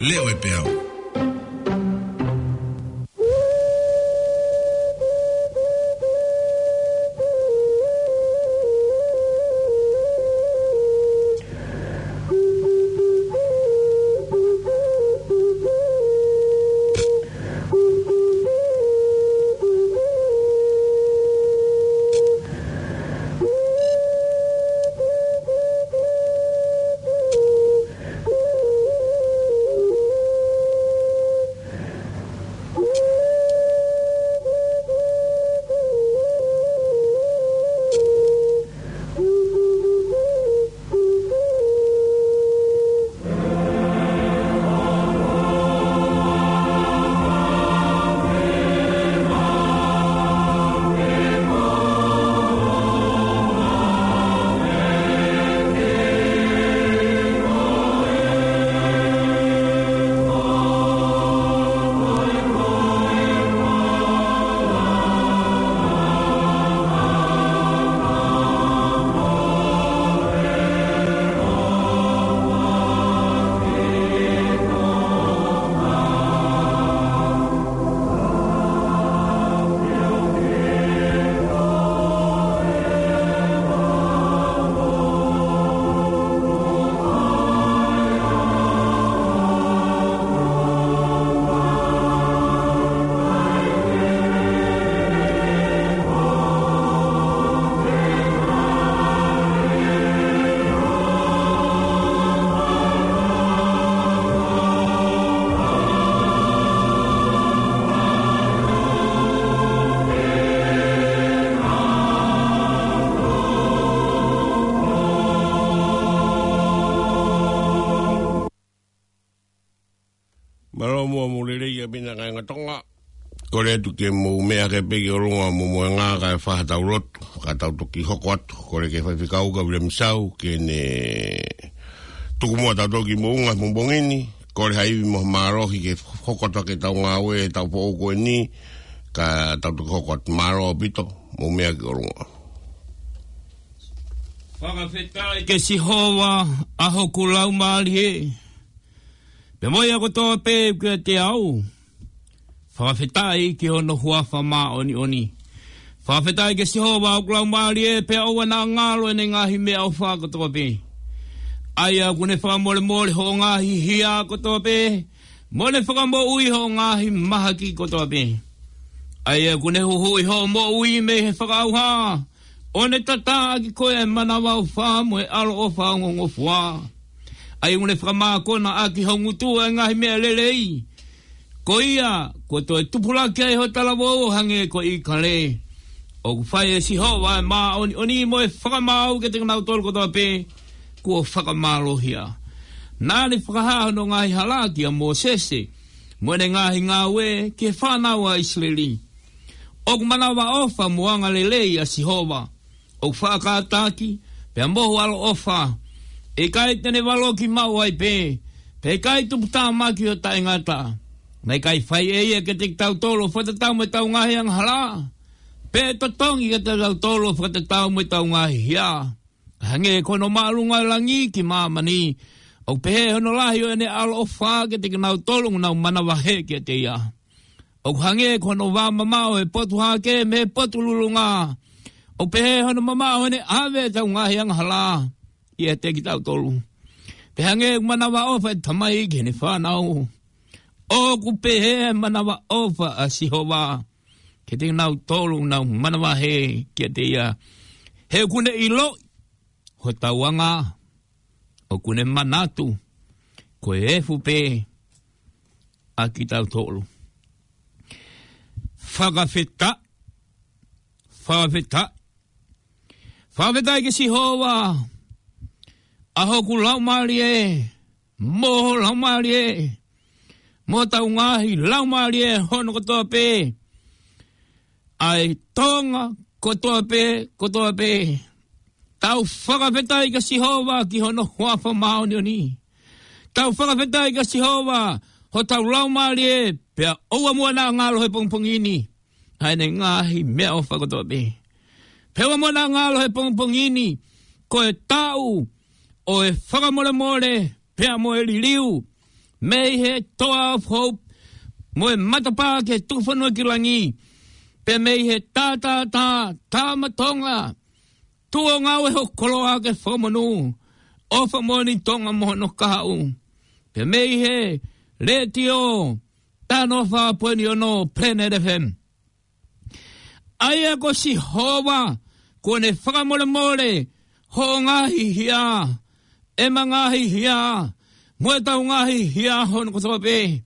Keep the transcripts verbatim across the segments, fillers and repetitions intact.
Leo e peau. Mālō muʻa mo e lelei ʻaupito kāinga Tonga. Kole atu ke mou meʻa hake pē ki ʻolunga mo moenga kae fai haʻatau lotu, ka tau toki hoko atu. Kole ki he faifekau ka Vila Misau ke ne tuku muʻa tautolu ki moʻunga he pongipongi ni. Kole ha ivi mo e mālohi ke hoko atu ʻetau ngāue, ʻetau foʻou ko eni, ka tau toki hoko atu. Mālō ʻaupito, mou meʻa ki ʻolunga. Fakafetaʻi kia Sihova, ʻa hoku laumālie, pea mo ia kotoa pē ʻoku ʻiate au, fakafetaʻi ki hono huafa māʻoniʻoni. Fakafetaʻi kia Sihova, ʻa hoku laumālie, pea ʻoua naʻa ngalo ʻene ngaahi meʻaʻofa kotoa pē, ʻa ia ʻoku ne fakamolemole hoʻo ngaahi hia kotoa pē, mo ne fakamoʻui hoʻo ngaahi mahaki kotoa pē, ʻa ia ʻoku ne huhuʻi hoʻo moʻui mei he fakaʻauha, ʻo ne tataʻaki koe ʻa e manavaʻofa mo e ʻaloʻofa ongongofua, ʻa ia ʻoku ne fakamākona ʻaki ho ngutu ʻa e ngaahi meʻa lelei, ko ia kuo toe tupulaki ai ho talavou ʻo hangē ko ʻIkale. ʻOku fai ʻe Sihova ʻa e māʻoniʻoni mo e fakamaau kiate kinautolu kotoa pē kuo fakamālohia. Naʻa ne fakahā hono ngaahi hala kia Mōsese, mo ʻene ngaahi ngāue ki he fānau ʻa ʻIsileli. ʻOku manavaʻofa mo angalelei ʻa Sihova, ʻoku faʻa kātaki, pea mohu ʻaloʻofa. ʻE ʻikai te ne valoki maʻu ai pē, pea ʻikai tuputāmaki ʻo taʻengata. Naʻe ʻikai fai ʻe ia kiate kitautolu ʻo fakatatau mo ʻetau ngaahi angahala, pe ʻe totongi kiate kitautolu ʻo fakatatau mo ʻetau ngaahi hia. Hangē ko hono māʻolunga ʻo e langi ki māmani, ʻoku pehē hono lahi ʻo ʻene ʻaloʻofa kiate kinautolu ʻoku nau manavahē kiate ia. ʻOku hangē ko hono vā mamaʻo ʻo e potu hahake mei he potu lulunga, ʻoku pehē hono mamaʻo ʻo ʻene ʻave ʻetau ngaahi angahala ʻiate kitautolu. Pea hangē ʻoku manavaʻofa ʻa e tamai ki heʻene fānau, ʻoku pehē ʻa e manavaʻofa ʻa Sihova kiate kinautolu ʻoku nau manavahē kiate ia. He ʻoku ne ʻiloʻi hotau anga, ʻoku ne manatu ko e efu pē ʻa kitautolu. Fakafetaʻi, fakafetaʻi, fakafetaʻi kia Sihova, ʻa hoku laumālie, mo ho laumālie, mo hotau ngaahi laumālie hono kotoa pē, ʻa e Tonga kotoa pē, kotoa pē. Tau fakafetaʻi kia Sihova ki hono huafa māʻoniʻoni. Tau fakafetaʻi kia Sihova, hotau laumālie, pea ʻoua muʻa naʻa ngalo he pongipongi ni ʻa ʻene ngaahi meʻaʻofa kotoa pē. Pea ʻoua muʻa naʻa ngalo he pongipongi ni, ko e taʻu ʻo e fakamolemole, pea mo e liliu, mei he Toa of Hope, mo e matapā ki he tuku fonua ki langi, pea mei he tātātā, Tama Tonga, tuʻu ʻo ngāue ho koloa ke fakamonū ʻofa moʻoni Tonga mo hono kahaʻu, pea mei he letiō taha noa fā poini ono Planet F M. ʻA ia ko Sihova, kuo ne fakamolemole hoʻo ngaahi hia, ʻema ngaahi hia, mo ʻetau ngaahi hia hono kotoa pē.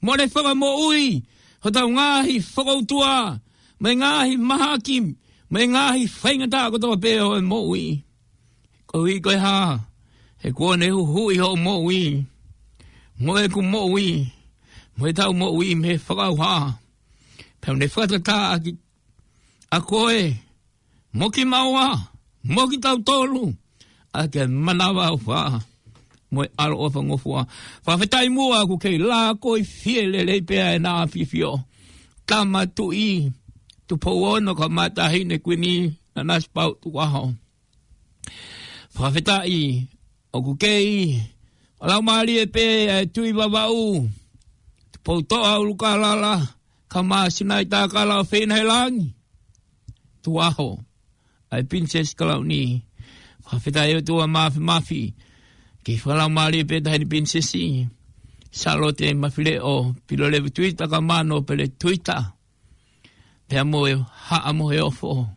Mo ne fakamoʻui hotau ngaahi fokoutua, mo e ngaahi mahaki, mo e ngaahi faingataʻa kotoa pē ʻo e moʻui. Koeʻuhi ko e hā? He kuo ne huhuʻi hoʻo moʻui, mo ʻeku moʻui, mo ʻetau moʻui mei he fakaʻauha. Pea ne fakatatā ʻaki ʻa koe, mo kimaua, mo kitautolu, ʻaki e manavaʻofa mo e ʻaloʻofa ngofua. Fakafetaʻi muʻa ʻoku kei lākoi fie lelei pē ʻa ʻEne ʻAfio. Tama Tuʻi Tupou Ono kae ʻumaʻā Taʻahine Kuini Nanasipauʻu Tukuʻaho. Fakafetaʻi ʻoku kei fakalaumālie pē ʻa e Tuʻi Vavaʻu, Tupoutoʻa ʻUlukalala, kae ʻumaʻā Sinai Takala ʻofeina he langi, Tukuʻaho, ʻa e Pilinisesi Kalauni. Fakafetaʻi ʻOtua Māfimafi, kei fakalaumālie pē Taʻahine Pilinisesi Sālote Mafileʻo Pilolevu Tuita kae ʻumaʻā Nōpele Tuita, pea mo e Haʻa Moheofo.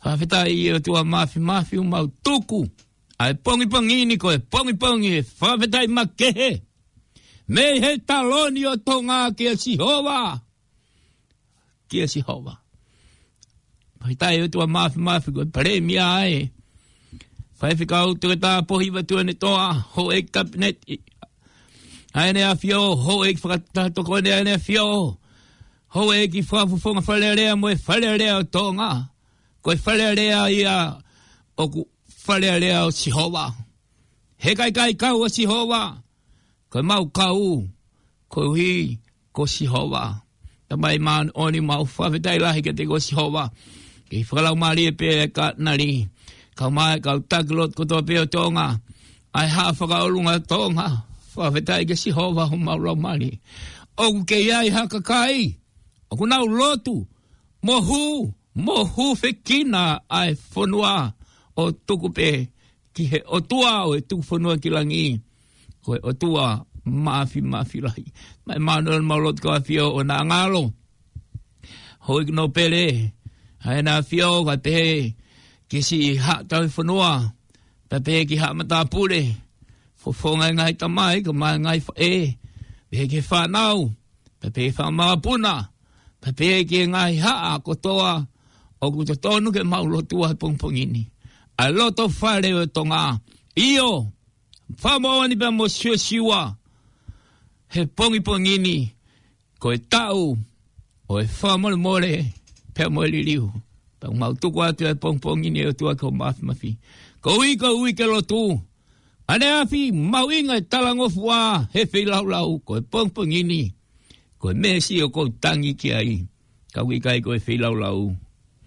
Fakafetaʻi ʻOtua Māfimafi, ʻoku mau tuku ʻa e pongipongi ni ko e pongipongi ʻo e fakafetaʻi makehe mei he taloni ʻo Tonga kia Sihova. Kia Sihova. Fakafetaʻi ʻOtua Māfimafi, ko e Palēmia ʻa e Faifekau Toketā Pōhiva Tuʻiʻonetoa, Houʻeiki Kapineti ʻa ʻEne ʻAfio, Houʻeiki Fakataha Tokoni ʻa ʻEne ʻAfio, Houʻeiki Fakafofonga Fale Alea mo e Fale Alea ʻo Tonga. Ko e Fale Alea ia ʻoku Fale Alea ʻo Sihova. He ʻikai kau ʻa Sihova, ko e mau kau, koeʻuhi ko Sihova. Tamai māʻoniʻoni, mau fakafetaʻi lahi kiate koe Sihova. Kei fakalaumālie pē ʻa e Katinali, kae ʻumaʻā e kau taki lotu kotoa pē ʻo Tonga, ʻa e Haʻa Fakaʻolunga ʻo Tonga. Fakafetaʻi kia Sihova homau laumālie. ʻOku kei ʻi ai ha kakai ʻoku nau lotu, mo hū, mo hūfekina ʻa e fonua ʻo tuku pē ki he ʻOtua ʻo e tuku fonua ki langi, ko e ʻOtua Māfimafi lahi. Tamai māʻoniʻoni, mau lotu ki he ʻAfio ʻo na ngalo. Houʻeiki Nōpele ʻa ʻEne ʻAfio, kae pehē ki he siʻi haʻa tauhi fonua, pea pehē ki he haʻa matāpule, fofonga e ngaahi tamai kae ʻumaʻā e ngaahi faʻē, pehē ki he fānau, pea pehē ki he fanga makapuna, pea pehē ki he ngaahi haʻa kotoa ʻoku totonu ke mau lotua he pongipongi ni. ʻA e loto fale ʻo Tonga. ʻIo, fakamoʻoni pea mo siosiua he pongipongi ni, ko e taʻu ʻo e fakamolemole pea mo e liliu. Pea ʻoku mau tuku atu e pongipongi ni, ʻOtua, ki ho māfimafi. Koeʻuhi, koeʻuhi ke lotu, ʻaneafi, mahuʻinga e talangofua he feilaulau, ko e pongipongi ni, ko e meesi ʻoku ou tangi ki ai, ka ʻoku ʻikai ko e feilaulau.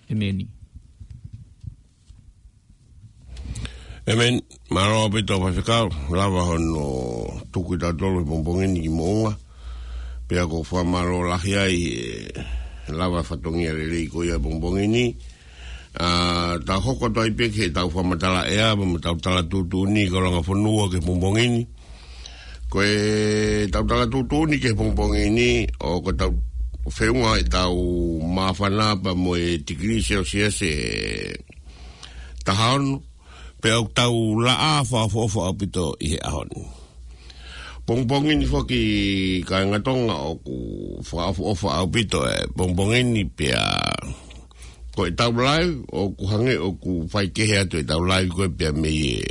ʻEmeni. ʻEmeni. Mālō ʻaupito Faifekau, lava hono tuku kitautolu he pongipongi ni ki Moʻunga. Pea ʻoku ou fakamālō lahi ai he lava fatongia lelei ko ia he pongipongi ni. ʻA, tau hoko atu ai pē ki heʻetau fakamatala ʻea, mo ʻetau tala tuʻutuʻuni ki he langa fonua ki he pongipongi ni. Ko ʻetau tala tuʻutuʻuni ki he pongipongi ni, ʻoku tau feʻunga ʻetau māfana pea mo e tikilī Selsiasi ʻe taha ono, pea ʻoku tau laʻā fakaʻofoʻofa ʻaupito ʻi he ʻaho ni. Pongipongi ni foki kāinga Tonga, ʻoku fakaʻofoʻofa ʻaupito e pongipongi ni pea ko ʻetau live, ʻoku hangē ʻoku faikehe atu ʻetau live ko ē pea mei he,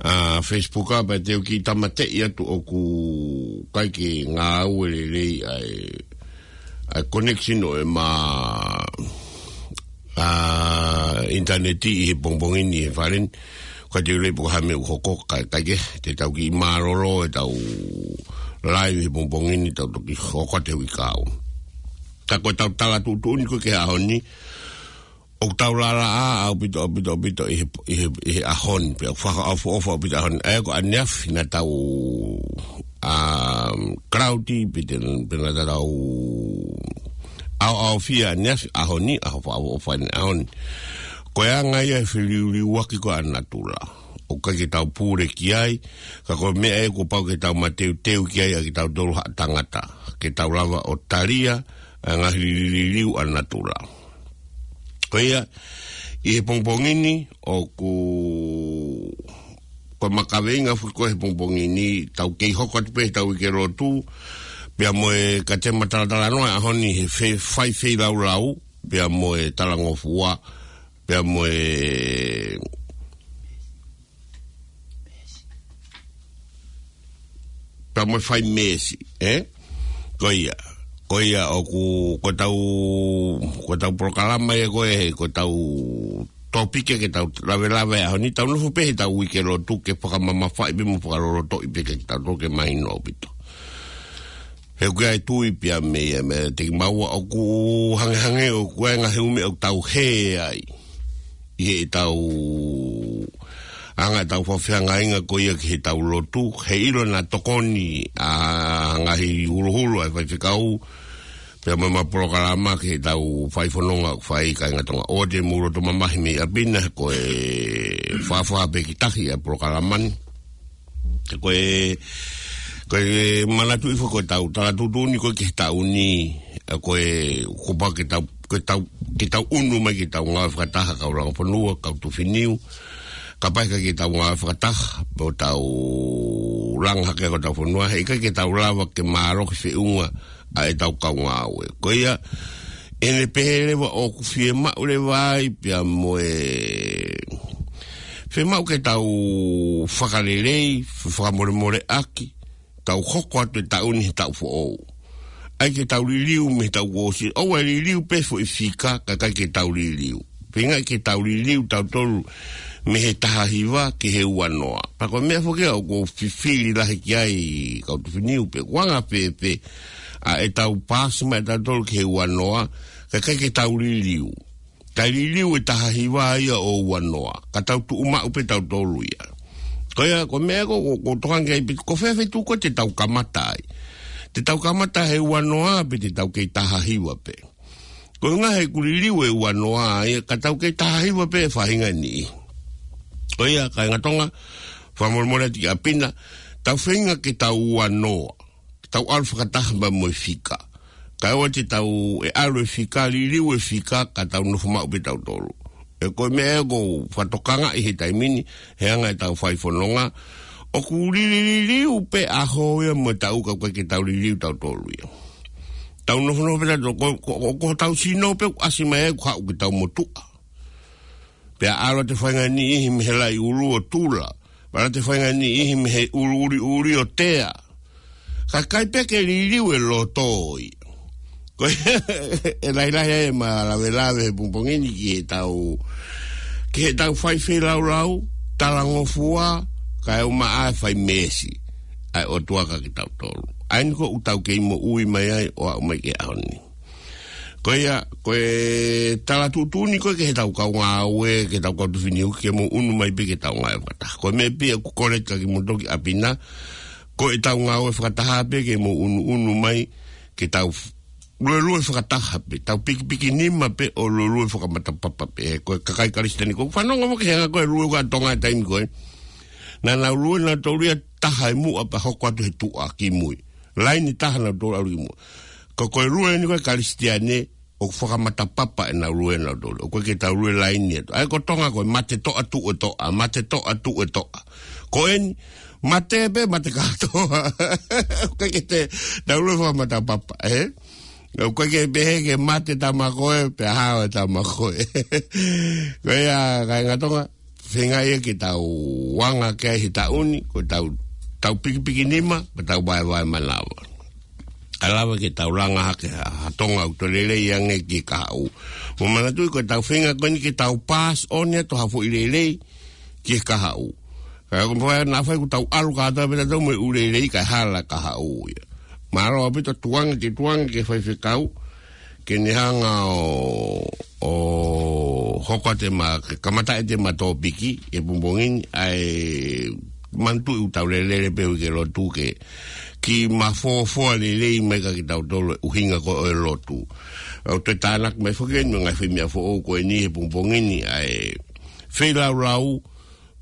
ʻa, Facebook, ʻa, pea te u kiʻi tāmateʻi atu ʻoku ʻikai ke ngāue lelei ʻa e, ʻa e connection ʻo ʻema, ʻa, ʻinitaneti ʻi he pongipongi ni he fale ni. Ka te u lei pē ko e hā e meʻa ʻoku hoko, ka, kae kehe, te tau kiʻi mālōlō ʻetau live he pongipongi ni, tau toki hoko atu he uike kahaʻu. Ka ko ʻetau tala tuʻutuʻuni ko ē ki he ʻaho ni, ʻoku tau lalaʻā ʻaupito, ʻaupito, ʻaupito ʻi he, ʻi he, ʻi he ʻaho ni, pea fakaʻofoʻofa ʻaupito ʻaho ni. ʻA ia ko ʻaneafi naʻa tau, um, cloudy, pe te, pe naʻa tau ʻaoʻaofia ʻaneafi, ʻaho ni, ʻaho fakaʻofoʻofa ʻaneafi ʻaho ni. Ko e anga ia e feliuliuaki ko ē ʻa natula. ʻOku ʻikai ke tau pule ki ai, ka ko e meʻa ia kuo pau ke tau mateuteu ki ai ʻa kitautolu haʻa tangata. Ke tau lava ʻo talia, ʻa e ngaahi liliu ʻa natula. Ko ia, ʻi he pongipongi ni, ʻoku, ko e makaveinga foki ko ē he pongipongi ni, tau kei hoko atu pē he tau uike lotu, pea mo e ka te matalatala noa ʻaho ni he fe-, fai feilaulau, pea mo e talangofua, pea mo e pea mo e fai meesi, ē? Ko ia, ko ia ʻoku, ko e tau, ko e tau polokalama ia ko ē, ko e tau tōpiki ke tau lavelave ʻaho ni, tau nofo pē he tau uike lotu ke fakamamafaʻi pē mo fakalolotoʻi pē ke tau toke mahino ʻaupito. He ʻoku ʻi ai e tui pea mei, mei te kimaua ʻoku hangehangē ʻoku ʻi ai e ngaahi ʻū meʻa ʻoku tau hē ai. ʻI he tau anga tau fafeangainga ko ia ki he tau lotu, he ʻilo naʻa tokoni ʻa e ngaahi huluhulu ʻa e faifekau, pea mo ʻema polokalama ki he tau fai fononga ʻoku fai kāinga Tonga. ʻOua te mou loto mamahi mei ʻapi na, ko e fāfā pē ki tahi ʻa e polokalama ni. Ko e, ko e manatuʻi foki ko e tau, tala tuʻutuʻuni ko ē ki he taʻu ni, ʻa ko e, kuo pau ke tau, ke tau, ke tau ʻunu mai ke tau ngāue fakataha kau langa fonua, kau tufiniu, kapau ʻe ʻikai ke tau ngāue fakataha, pea tau langa hake ko ē tau fonua, he ʻikai ke tau lava ke mālohi feʻunga ʻa e tau kau ngāue. Ko ia, ʻene pehē leva ʻoku fiemaʻu leva ai, pea mo e, fiemaʻu ke tau fakalelei, fakamolemoleʻaki, tau hoko atu e taʻu ni he taʻu foʻou. ʻAi ke tau liliu mei he taʻu kuo ʻosi, ʻoua ʻe liliu pē foʻi fika, ka ʻikai ke tau liliu. Pea ʻikai ke tau liliu tautolu mei he taha hiva ki he ua noa. Pea ko e meʻa foki ia ʻoku ou fifili lahi ki ai kau tufiniu pē, ʻoku anga fēfē ʻa e tau paasi mai tautolu ki he ua noa, ka ʻikai ke tau liliu. Ka liliu e taha hiva ia ʻo ua noa, ka tau tuʻu maʻu pē tautolu ia. Ko ia, ko e meʻa ko, ko, ko e tokanga ki ai pē, ko fē feituʻu ko ē te tau kamata ai. Te tau kamata he ua noa pē te tau kei taha hiva pē. Ko e ʻuhinga he ʻoku liliu e ua noa ia, ka tau kei taha hiva pē he faʻahinga ni. Ko ia, kāinga Tonga, fakamolemole atu ki ʻapi na, tau feinga ke tau ua noa. Tau ʻalu fakataha pea mo e fika. Kae ʻoua te tau ʻe ʻalu e fika, liliu e fika, ka tau nofo maʻu pē tautolu. Ē ko e meʻa ē ʻoku ou fakatokangaʻi he taimi ni, he anga e tau fai fononga, ʻoku lili-, liliu pē ʻaho ia mo e taʻu ka ʻoku ʻikai ke tau liliu tautolu ia. Tau nofonofo pē tautolu, ko, ko, ko, ko hotau sino pē ʻoku ʻasi mai ai ʻoku haʻu ke tau motuʻa. Pea ʻalu atu e faʻahinga niʻihi mei he laʻi ʻulu ʻo tula. Pea ʻalu atu e faʻahinga niʻihi mei he ʻulu ʻuliʻuli ʻo tea. Ka ʻikai pē ke liliu e loto ia. Ko e lahilahi ai ʻema lavelave he pongipongi ni ki he tau, ki he tau fai feilaulau, talangofua, kae ʻumaʻā e fai meesi ʻa e ʻOtua kiate kitautolu. ʻA eni ko ē ʻoku tau kei moʻui mai ai ʻo aʻu mai ki he ʻaho ni. Ko ia, ko e tala tuʻutuʻuni ko ē ki he tau kau ngāue, ki he tau kau tufiniu, ke mou ʻunu mai pē ke tau ngāue fakataha. Ko e meʻa pē ia ʻoku ou kolea atu kiate kimoutolu ki ʻapi na, ko e tau ngāue fakataha pē ke mou ʻunuʻunu mai, ke tau f-, luelue fakataha pē, tau pikipiki nima pē ʻo luelue fakamatapapa pē, ko e kakai Kalisitiane ko ē, fanongo mo ke hanga ko e lue ʻa Tonga he taimi ko ē. Naʻa nau lue nautolu ia taha ʻi muʻa pea hoko atu he tuʻa ki mui. Laini taha nautolu ʻalu ki muʻa. Ko, ko e lue eni ko ē Kalisitiane, ʻoku fakamatapapa ʻenau lue nautolu. ʻOku ʻikai ke tau lue laini atu. ʻA ia ko Tonga ko e mate toʻa tuʻu e toʻa, mate toʻa tuʻu e toʻa. Ko eni, mate pē, mate kātoa. ʻOku ʻikai ke te, tau lue fakamatapapa, ē? ʻOku ʻikai ke pehē ke mate tama ko ē, pea hao e tama ko ē. Ko ia, kāinga Tonga, feinga ia ke tau anga ki ai he taʻu ni, ko e tau, tau pikipiki nima, mo tau vaevae manava. ʻA lava ke tau langa hake ha, ha Tonga ʻoku toe lelei ange ki he kahaʻu. Mou manatuʻi ko e tau feinga ko eni ke tau pass on ia ʻa e tau ha foʻi lelei ki he kahaʻu. Ka ko e meʻa naʻa faʻa ʻoku tau ʻalu kātoa pē tautolu mo e ʻū lelei kae hala e kahaʻu ia. Mālō ʻaupito tuanga ke tuanga ki he faifekau. ke ne hanga ʻo, ʻo hoko atu ʻema, ke kamata ʻete ʻema tōpiki he pongipongi ni, ʻa e manatuʻi ʻoku tau lele pē he uike lotu ke, ke mafofoa lelei mai kiate kitautolu e ʻuhinga ko ē ʻo e lotu. ʻOku toe tānaki mai foki eni mo e ngaahi foʻi meʻa foʻou ko eni he pongipongi ni, ʻa e feilaulau,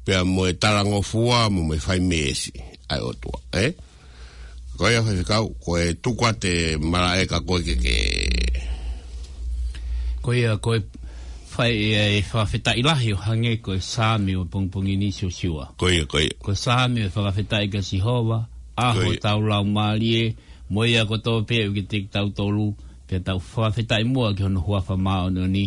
pea mo e talangofua, mo e fai meesi ʻa e ʻOtua, ē? Ko ia Faifekau, ko e tuku atu e malaʻe kia koe ke ke. Ko ia, ko e fai e, e fakafetaʻi lahi ʻo hangē ko e Saame ʻo e pongipongi ni Siosiua. Ko ia, ko ia. Ko e Saame ʻo e fakafetaʻi kia Sihova, ʻa hotau laumālie, mo ia kotoa pē ʻoku ʻiate kitautolu, pea tau fakafetaʻi muʻa ki hono huafa māʻoniʻoni,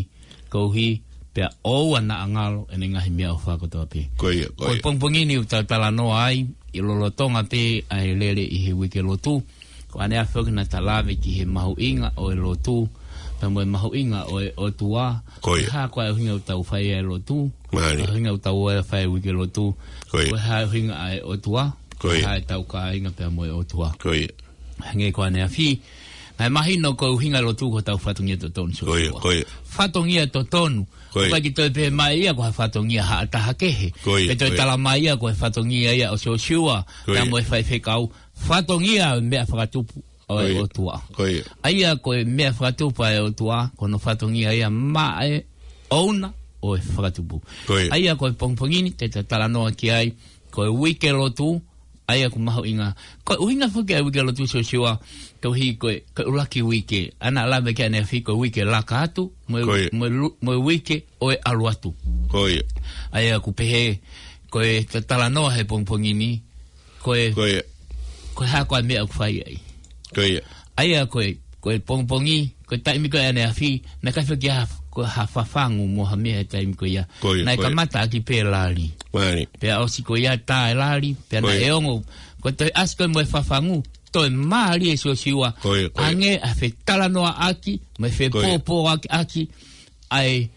koeʻuhi pea ʻoua naʻa ngalo ʻene ngaahi meʻaʻofa kotoa pē. Ko ia, ko ia. Ko e pongipongi ni ʻoku tau talanoa ai, ʻi lolotonga pē ʻa e lele ʻi he uike lotu. Ko ʻaneafi foki naʻa ta lave ki he mahuʻinga ʻo e lotu, pea mo e mahuʻinga ʻo e ʻOtua. Ko ia. Ko e hā ko ā e ʻuhinga ʻoku tau fai ai e lotu. Mālie. Ko e ʻuhinga ʻoku tau ō ai ʻo fai e uike lotu. Ko ia. Ko e hā e ʻuhinga ʻa e ʻOtua. Ko ia. Ko e hā ʻetau kāinga pea mo e ʻOtua. Ko ia. Hangē ko ʻaneafi, naʻe mahino ko e ʻuhinga e lotu ko hotau fatongia totonu Siosiua. Ko ia, ko ia. Fatongia totonu. Ko ia. ʻOku ʻikai ke toe pehē mai ia ko ha fatongia ha taha kehe. Ko ia, ko ia. Pe toe tala mai ia ko e fatongia ia ʻo Siosiua, ko ia, pea mo e faifekau. Fatongia ʻo e meʻa fakatupu ʻo e ʻOtua. Ko ia. Ko ia. ʻA ia ko e meʻa fakatupu ʻa e ʻOtua, ko hono fatongia ia maʻa e ʻouna ʻo e fakatupu. Ko ia. ʻA ia ko e pongipongi ni te ta talanoa ki ai, ko e uike lotu, ʻa ia ʻoku mahuʻinga. Ko e ʻuhinga foki ʻa e uike lotu Siosiua, koeʻuhi ko e, ko e ʻuluaki uike. Naʻa ta lave ki ai ʻaneafi ko e uike laka atu, mo e, ko ia, mo e lu-, mo e uike ʻo e ʻalu atu. Ko ia. ʻA ia ʻoku pehē, ko e ta talanoa he pongipongi ni, ko e, ko ia, ko e hā ko ā e meʻa ʻoku fai ai. Ko ia. ʻA ia ko e, ko e pongipongi, ko e taimi ko ē ʻaneafi, naʻe ʻikai foki ha, ko ha fafangu mo ha meʻa he taimi ko ia. Ko ia, ko ia. Naʻe kamata ʻaki pē lali. Mālie. Pea ʻosi ko ia tā e lali, pea, ko ia, naʻe ongo. Ko e toe ʻasi ko ē mo e fafangu, toe mālie Siosiua. Ko ia, ko ia. Hangē ʻa e fetalanoaʻaki, mo e, ko ia, fepōpōʻaki, ʻaki, ʻa e,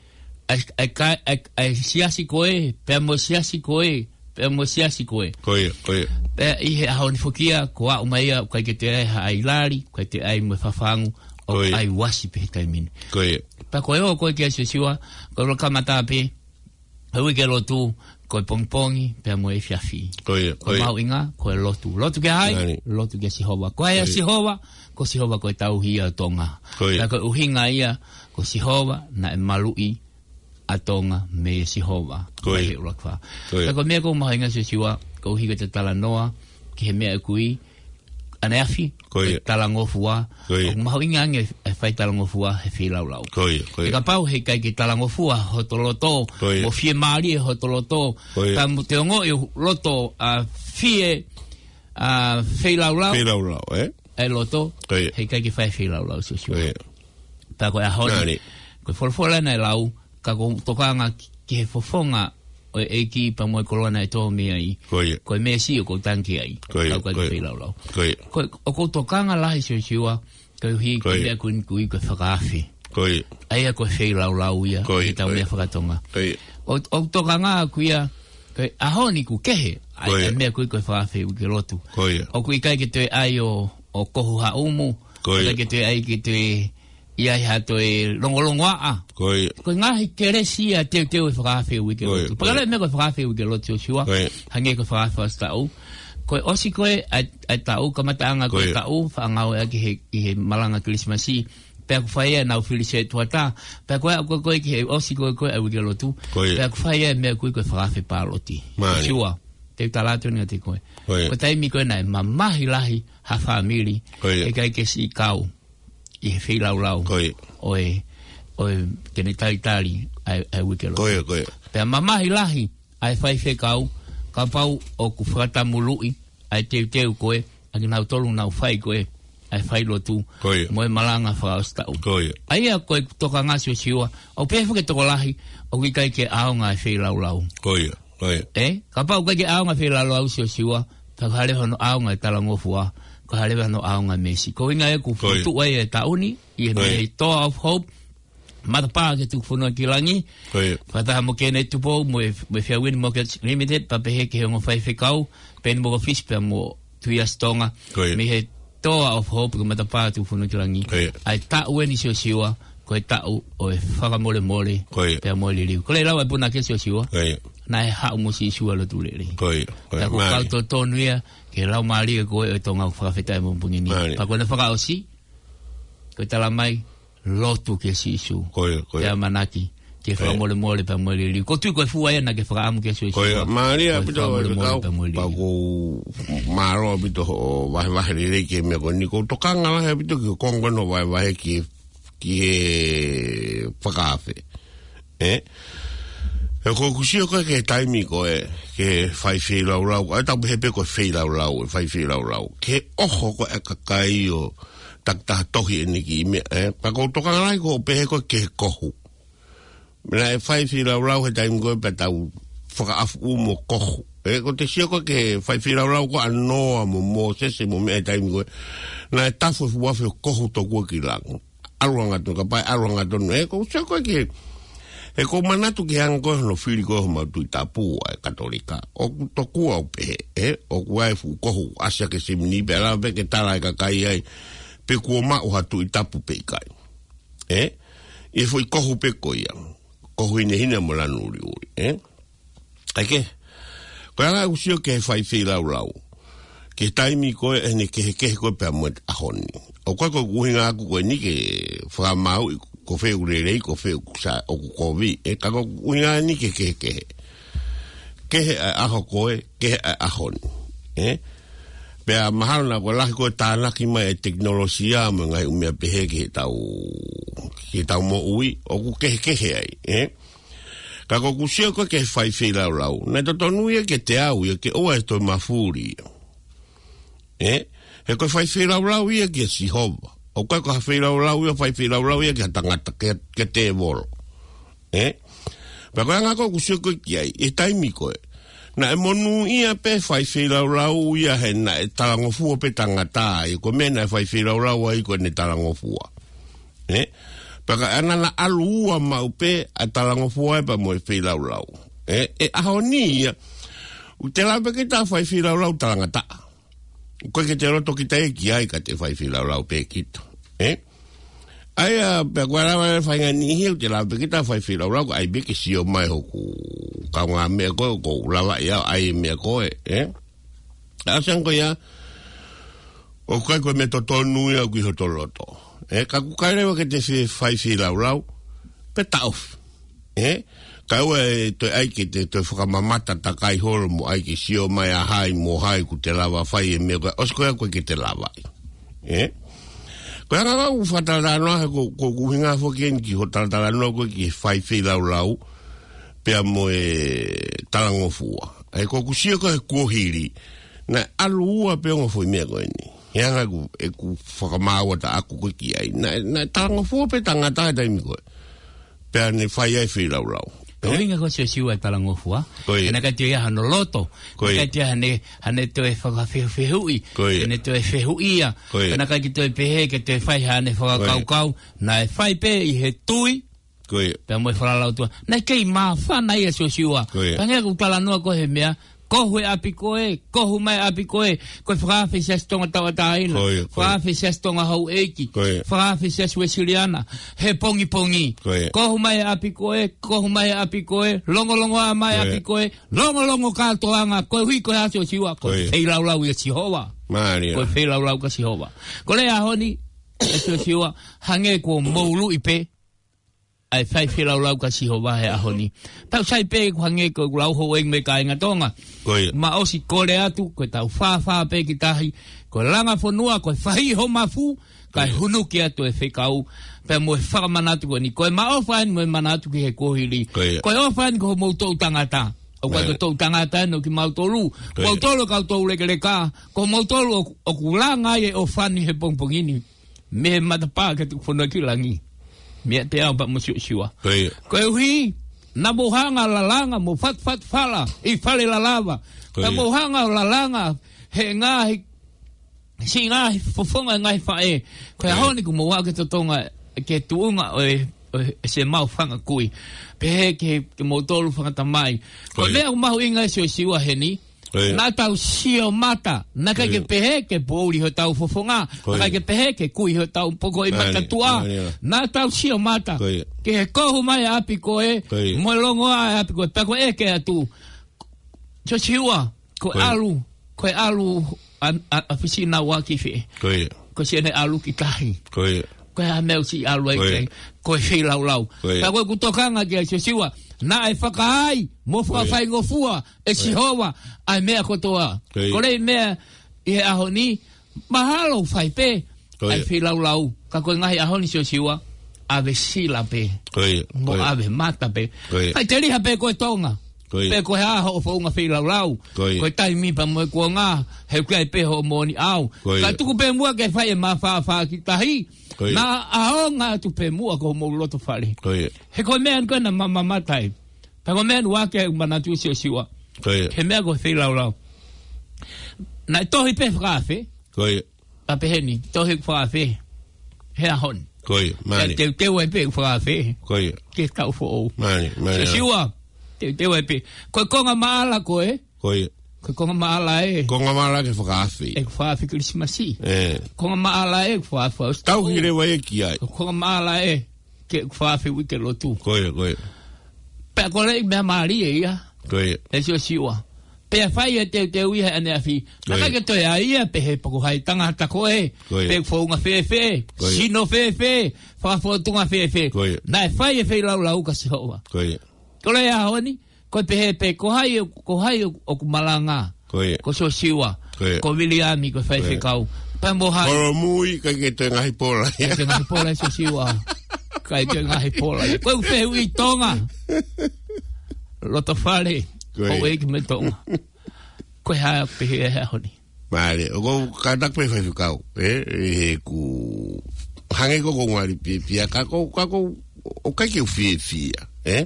ʻa e, ʻa e ka-, ʻa e, ʻa e siasi ko ē, pea mo e siasi ko ē, pea mo e siasi ko ē. Ko ia, ko ia. Pea ʻi he ʻaho ni foki ia, ko e aʻu mai ia, ʻoku ʻikai ke toe ʻi ai ha ʻai lali, ʻoku ʻikai toe ʻi ai mo e fafangu, ʻoku, ko ia, ʻai uasi pē he taimi ni. Ko ia. Pea ko e ō ko ē kia Siosiua, ko e ʻuluaki kamata pē, ko e uike lotu, ko e pongipongi, pea mo e efiafi. Ko ia, ko ia. Ko e mahuʻinga, ko e lotu. Lotu kia hai? Mālie. Lotu kia Sihova. Ko hai ʻa, ko ia, Sihova? Ko Sihova ko e tauhi ʻo Tonga. Ko ia. Pea ko e ʻuhinga ia, ko Sihova naʻe maluʻi ʻa Tonga meia Sihova. Ko ia. Ko e ʻuluaki fā. Ko ia. Pea ko e meʻa ʻoku mahuʻinga Siosiua, koeʻuhi ko ʻeta talanoa ki he meʻa ʻoku ui ʻaneafi, ko ia, ko e talangofua. Ko ia. ʻOku mahuʻinga ange e fai talangofua he feilaulau. Ko ia, ko ia. He kapau heʻikai ke talangofua hoto loto, ko ia, mo fiemālie hoto loto, ko ia, ka mo te ongoʻi ho loto ʻa fie, ʻa feilaulau. Feilaulau, ē? ʻA e loto, ko ia, heʻikai ke fai feilaulau Siosiua. Ko ia. Pea ko e ʻaho ni, ko e folofola naʻe lau, ka ʻoku ou tokanga ki, ki he fofonga ʻo e ʻEiki pea mo e koloa naʻe tō mei ai. Ko ia. Ko e meesi ʻoku ou tangi ai. Ko ia, ka ʻoku ʻikai ke feilaulau. Ko ia. Ko e, ʻoku ou tokanga lahi Siosiua, koeʻuhi ko e meʻa ko eni ʻoku ui ko e fakaafe. Ko ia. ʻA ia ko e feilaulau ia, ko ia, ʻetau meʻa fakatonga. Ko ia. ʻOku, ʻoku ou tokanga ʻaʻaku ia, ko e ʻaho ni ʻoku kehe, ʻa e, ko ia, ʻa e meʻa ʻoku ui ko e fakaafe uike lotu. Ko ia. ʻOku ʻikai ke toe ʻai ʻo, ʻo kohu ha ʻumu. Ko ia. ʻIkai ke toe ʻai ke toe ʻi ai ha toe longolongoaʻa. Ko ia. Ko e ngaahi kelesi ia teuteu e fakaafe uike lotu. Ko ia, ko ia. Pea ka lele meʻa ko e fakaafe uike lotu Siosiua. Ko ia. Hangē ko e fakaafe ʻosi taʻu. Ko e ʻosi ko ē ʻa e, ʻa e taʻu, kamataʻanga ko e, ko ia, taʻu, faʻa ngāueʻaki he, ʻi he malanga Kilisimasi. Pea ʻoku fai ai ʻenau fili setuata. Pea ko e, ko e, ko e ki he ʻosi ko ē, ko e ʻa e uike lotu. Ko ia. Pea ʻoku fai ai e meʻa ʻoku ui ko e fakaafe pāloti. Mālie. Siosiua. Te u tala atu eni kiate koe. Ko ia. Ko e taimi ko ē naʻe mamahi lahi ha fāmili. Ko ia. ʻIkai ke siʻi kau ʻi he feilaulau. Ko ia. ʻO e, ʻo e, ke ne talitali ʻa e, ʻa e uike lotu. Ko ia, ko ia. Pea mamahi lahi ʻa e faifekau, kapau ʻoku fakatamuluʻi ʻa e teuteu ko ē, ʻa kinautolu naʻa nau fai ko ē ʻa e fai lotu. Ko ia. Mo e malanga fakaʻosi taʻu. Ko ia. ʻA ia ko e tokanga Siosiua, ʻoku pehē foki e tokolahi, ʻoku ʻikai ke ʻaonga e feilaulau. Ko ia. Ko ia. Ē? Kapau ʻoku ʻikai ke ʻaonga e feilaulau Siosiua, pea ʻoku hā leva hono ʻaonga e talangofua, ʻoku hā leva hono ʻaonga e meesi. Ko e ʻuhinga ia ʻoku, ko ia, fokotuʻu ai e taʻu ni, ʻi he, ko ia, meʻa he Door of Hope, matapā ki he Tukufonua ki Langi. Ko ia. Fakataha mo Kenneth Tupou, mo e, mo e Fairwind Mortgage Limited, pea pehē ki he ongo faifekau, Peni Mokofisi pea mo Tuiasi Tonga. Ko ia. Mei he toa ʻo Hope ki he matapā Tuʻi Fonuakilangi. Ko ia. ʻA e taʻu eni Siosiua, ko e taʻu ʻo e fakamolemole, Ko ia. pea mo e liliu. Ko e lau ʻa e punake Siosiua, Ko ia. naʻe haʻu mo Sīsū ʻa e lotu lelei. Ko ia. Ko ia. Pea ko e Mālie. kau totonu ia, ke lau mālie ko e ʻo e Tonga ʻoku fakafetaʻi mo pungini. Mālie. Pea ko ʻene fakaʻosi, ko e tala mai, lotu kia Sīsū. Ko ia, ko ia. Pea manaki, ke Ko ia. fakamolemole pea mo e liliu. Ko e tui ko e fua ia naʻa ke fakaʻamu kia Sīsū. Ko ia, mālie Ko e ʻaupito e fakamolemole fekau, pea mo e liliu. pea ʻoku mālō ʻaupito hoʻo vahevahe lelei ki he meʻa ko eni. ʻOku ou tokanga lahi ʻaupito ki he konga ko ena hoʻo vahevahe ki, ki he fakaafe. Ē? He ʻoku ou sio ko ē ki he taimi ko ē, ki he fai feilaulau, ʻa e tau pehē pē ko e feilaulau, ʻe fai feilaulau. Ki he ʻoho ko ē ʻa e kakai ʻo takitaha tohi ʻene kiʻi meʻa, ē? Pea ʻoku ou tokanga lahi ko e pehē ko ē ki he kohu. Naʻe fai feilaulau he taimi ko ē pea tau fakaʻafuʻu mo kohu. Ē, ʻoku te sio ko ē ki he fai feilaulau ko ē ʻa Noa mo Mōsese mo meʻa he taimi ko ē. Naʻe tafu e fuʻu afi ʻo kohu tokua ki langi. ʻAlu hangatonu, kapau ʻe ʻalu hangatonu. Ē, ʻoku ou sio ko ē ki he, ʻoku ou manatu ki he anga ko ē hono fili ko ē homau Tuʻi Tapu ʻa e Katolika. ʻOku tokua ʻo pehē, ē, ʻoku ʻi ai e fuʻu kohu ʻasi hake simini pea lava pē ke tala ʻe he kakai ai pe kuo maʻu ha Tuʻi Tapu pe ʻikai. Ē? ʻI he foʻi kohu pē ko ia. Kohu hinehina mo lanu uliuli, ē? ʻAi ke. Ko e anga ʻeku sio ki he fai feilaulau. Ki he taimi ko ē ʻene kehekehe ko ē pea mo e ʻaho ni. ʻOku ʻikai ko e ʻuhinga ʻaku ko eni ke fakamāuʻi ko fē ʻoku lelei, ko fē ʻoku sa-, ʻoku kovi. Ē, ka ko e ʻuhinga eni ke kehekehe. Kehe ʻa e ʻaho ko ē, kehe ʻa e ʻaho ni. Ē? Pea mahalo naʻa ko e lahi ko ē tānaki mai e tekinolosia mo e ngaahi ʻū meʻa pehē ki heʻetau, ki heʻetau moʻui, ʻoku kehekehe ai, ē? Ka ʻoku ou sio ko ē ki he fai feilaulau. Naʻe totonu ia kiate au ia ke ʻoua ʻe toe mafuli ia. Ē? He ko e fai feilaulau ia kia Sihova. ʻOku ʻikai ko ha feilaulau ia, fai feilaulau ia kia tangata, kia, kia tēvolo. Ē? Pea ko e anga ko ē ʻoku ou sio ko ē ki ai, ʻi he taimi ko ē. Naʻe monūʻia pē fai feilaulau ia he naʻe talangofua pē tangata, ʻi he ko e meʻa naʻe fai feilaulau ai ko ʻene talangofua. Ē? Pea ka ʻana naʻa ʻalu ua maʻu pē ʻa e talangofua ē pea mo e feilaulau. Ē? ʻI he ʻaho ni ia, ʻoku te lava pē kita fai feilaulau talangataʻa. ʻOku ʻikai ke te loto kita ia ki ai ka te fai feilaulau pē kita. Ē? ʻA ia, pea ko e lava e faʻahinga niʻihi ʻoku te lava pē kita fai feilaulau, ka ʻai pē ke sio mai hoku kaungāmeʻa ko ē, ʻoku ou lava ia ʻo ʻai e meʻa ko ē, ē? ʻA e ʻaho ko ia, ʻoku ʻikai ko e meʻa totonu ia ʻoku ʻi hoto loto. Ē, ka ʻoku ʻikai leva ke te fe-, fai feilaulau, pea taʻofi. Ē? Kae ʻoua ʻe toe ʻai ke te toe fakamamata takai holo mo ʻai ke sio mai ʻa hai mo hai ʻoku te lava fai e meʻa ko ē, ʻosi ko ia ʻoku ʻikai ke te lava ai. Ē? Ko e anga ʻeku fakatalanoa he ko, ko, ko e ʻuhinga foki eni ki hoʻo talatalanoa ko ē ki he fai feilaulau, pea mo e talangofua. Ē, ʻoku ou sio ko ē he kuohili, naʻe ʻalu ua pē ongo foʻi meʻa ko eni. He anga ʻeku, ʻeku fakamaauʻanga ʻaku ko ē ki ai. Naʻe, naʻe talangofua pē tangata he taimi ko ē. Pea ne fai ai feilaulau. Ko e ʻuhinga ko ē Siosiua e talangofua. Ko ia. He naʻe ʻikai toe ʻi ai hano loto. Ko ia. Naʻe ʻikai toe ʻi ai haʻane, haʻane toe fakafehufehuʻi. Ko ia. Haʻane toe fehuʻia. Ko ia. Naʻe ʻikai ke toe pehē, ke toe fai haʻane fakakaukau. Ko ia. Naʻe fai pē ʻi he tui. Ko ia. Pea mo e falala ʻOtua. Naʻe kei māfana ia Siosiua. Ko ia. Pea hangē ko ʻeku talanoa ko ē he meʻa, kohu e ʻapi ko ē, kohu mai e ʻapi ko ē, ko e fakaafe Siasi Tonga Tauʻatāina, Ko ia, ko ia. fakaafe Siasi Tonga Houʻeiki, Ko ia. fakaafe Siasi Uesiliana, he pongipongi. Ko ia. Kohu mai e ʻapi ko ē, kohu mai e ʻapi ko ē, longolongoaʻa mai e Ko ia. ʻapi ko ē, longolongo kātoanga, koeʻuhi ko e hā Siosiua, ko Ko ia. feilaulau ʻia Sihova. Mālie. Ko e feilaulau kia Sihova. Ko e lea ʻaho ni, ʻe Siosiua, hangē kuo mou ʻuluʻi pē, ʻa e fai feilaulau kia Sihova he ʻaho ni. Tau sai pē ʻoku hangē ko ʻeku lau houʻeiki mo e kāinga Tonga. Ko ia. Mou ʻosi kole atu, ko ʻetau fāfā pē ki tahi, ko e langa fonua, ko e fahiʻi ho mafu, kae Ko ia. hunuki atu e fekau, pea mo e fakamanatu ko eni. Ko e maʻofa eni mo e manatu ki he kuohili. Ko ia. Ko e ʻofa eni ko homou toʻu tangata. ʻOku ʻikai Ko ia. ko e toʻu tangata eni ʻo kimautolu. Ko ia. Moutolu kau toʻu lekeleka, ko moutolu ʻoku, ʻoku langa ai e ʻofa ni he pongipongi ni. Mei he matapā ki he Tuʻi Fonuakilangi. Meiate au pea mo Siosiua. Ko ia. Koeʻuhi, naʻa mou hanga ʻo lalanga mo fatufatu fala ʻi fale lalava. Ko ia. Naʻa mou hanga ʻo lalanga he ngaahi, siʻi ngaahi fofonga ngaahi faʻē. Ko e Ko ia. ʻaho ni kuo mou aʻu ki he totonga, ki he tuʻunga ʻo e, ʻo e Semau fanga kui. Pehē ki he, ki he moutolu fanga tamai. Ko Ko ia. e meʻa ʻoku mahuʻinga ʻe Siosiua heni, Ko ia. Naʻa tau sio mata, naʻe ʻikai ke Ko ia. pehē ke poʻuli hotau fofonga, Ko ia. naʻe ʻikai ke pehē ke kui hotau poko ʻi Mālie, matatua. mālie. Naʻa tau sio mata, Ko ia. ke he kohu mai ʻapi ko ē, Ko ia. mo e longoaʻa ʻapi ko ē, pea ko e ʻeke atu. Siosiua, ko e Ko ia. ʻalu, ko e ʻalu ʻa, ʻa, ʻa Fisinau ʻa ki fē. Ko ia. Ko siʻene ʻalu ki tahi. Ko ia. Ko e hā e meʻa ʻoku siʻi ʻalu ai Ko ia. ki ai, ko e feilaulau. Ko ia. Ka ko ʻeku tokanga kia Siosiua, naʻe fakaai mo Ko ia. fakafaingofua ʻe Ko ia. Sihova ʻa e meʻa kotoa. Ko ia. Ko e meʻa ʻi he ʻaho ni, mahalo fai pē Ko ʻa e ia. feilaulau. Ka ko e ngaahi ʻaho ni Siosiua, ʻave sila pē. Ko ia. Mo Ko ia. ʻave mata pē. Ko ia. ʻIkai te liha pē ko e Tonga. Ko ia. Pe ko e hā hoʻo founga feilaulau. Ko ia. Ko e taimi pea mo e kuonga, he ʻoku ʻi ai pē hoʻo moʻoni ʻaho. Ko ia. Ka tuku pē muʻa ke fai e māfāfā ki tahi. Ko ia. Naʻa ʻaonga atu pē muʻa ko homou loto fale. Ko ia. He ko e meʻa ʻeni ko ē naʻa ma, mamata ai. Pea ko e meʻa ʻeni ʻoku ou manatu Siosiua. Ko ia. He meʻa ko e feilaulau. Naʻe tohi pē fakaafe. Ko ia. Ka pehē ni, tohi fakaafe. He ʻaho ni. Ko ia, Ka mālie. teuteu ai pē fakaafe. Ko ia. Ke tau foʻou. Mālie, mālie. Siosiua, teuteu ai pē. Ko e konga maʻala ko ē. Ko ia. Ko e konga maʻala ē. Konga maʻala ke fakaafe. ʻE fakaafe Kilisimasi. ʻE. Konga maʻala ē, fakaafe. Tau hile vai e ki ai. Ko e konga maʻala ē. Ke fakaafe uike lotu. Ko ia, ko ia. Pea ko e leʻi meʻa mālie ia. Ko ia. ʻE Siosiua. Pea fai e teuteu ia he ʻaneafi. Ko ia. Naʻe ʻikai ke toe ʻai ia pehē pe ko hai tangata ko ē. Ko ia. Pe founga fēfē. Ko ia. Sino fēfē. Fakafōtunga fēfē. Ko ia. Naʻe fai e feilaulau kia Sihova. Ko ia. Ko e ʻaho ni, ko e pehē pē, ko hai, ko hai ʻoku malanga. Ko ia. Ko Siosiua. Ko ia. Ko Viliami, ko e Ko ia. faifekau. Pea mo hai. Kolomui, ʻikai ke toe ngaahi pola. ʻIkai ke ngaahi pola Siosiua. ʻIkai ke ngaahi pola. Ko e fehuʻi Tonga. Loto fale. Ko ia. Ko e ki me Tonga. Ko e hā pehē he ʻaho ni. Mālie, ʻoku ou kātaki pē faifekau, ē, ʻi heʻeku hangē ko ʻeku ngali fiefia, ka ko, ka ko, ʻoku ʻikai ke u fiefia, ē?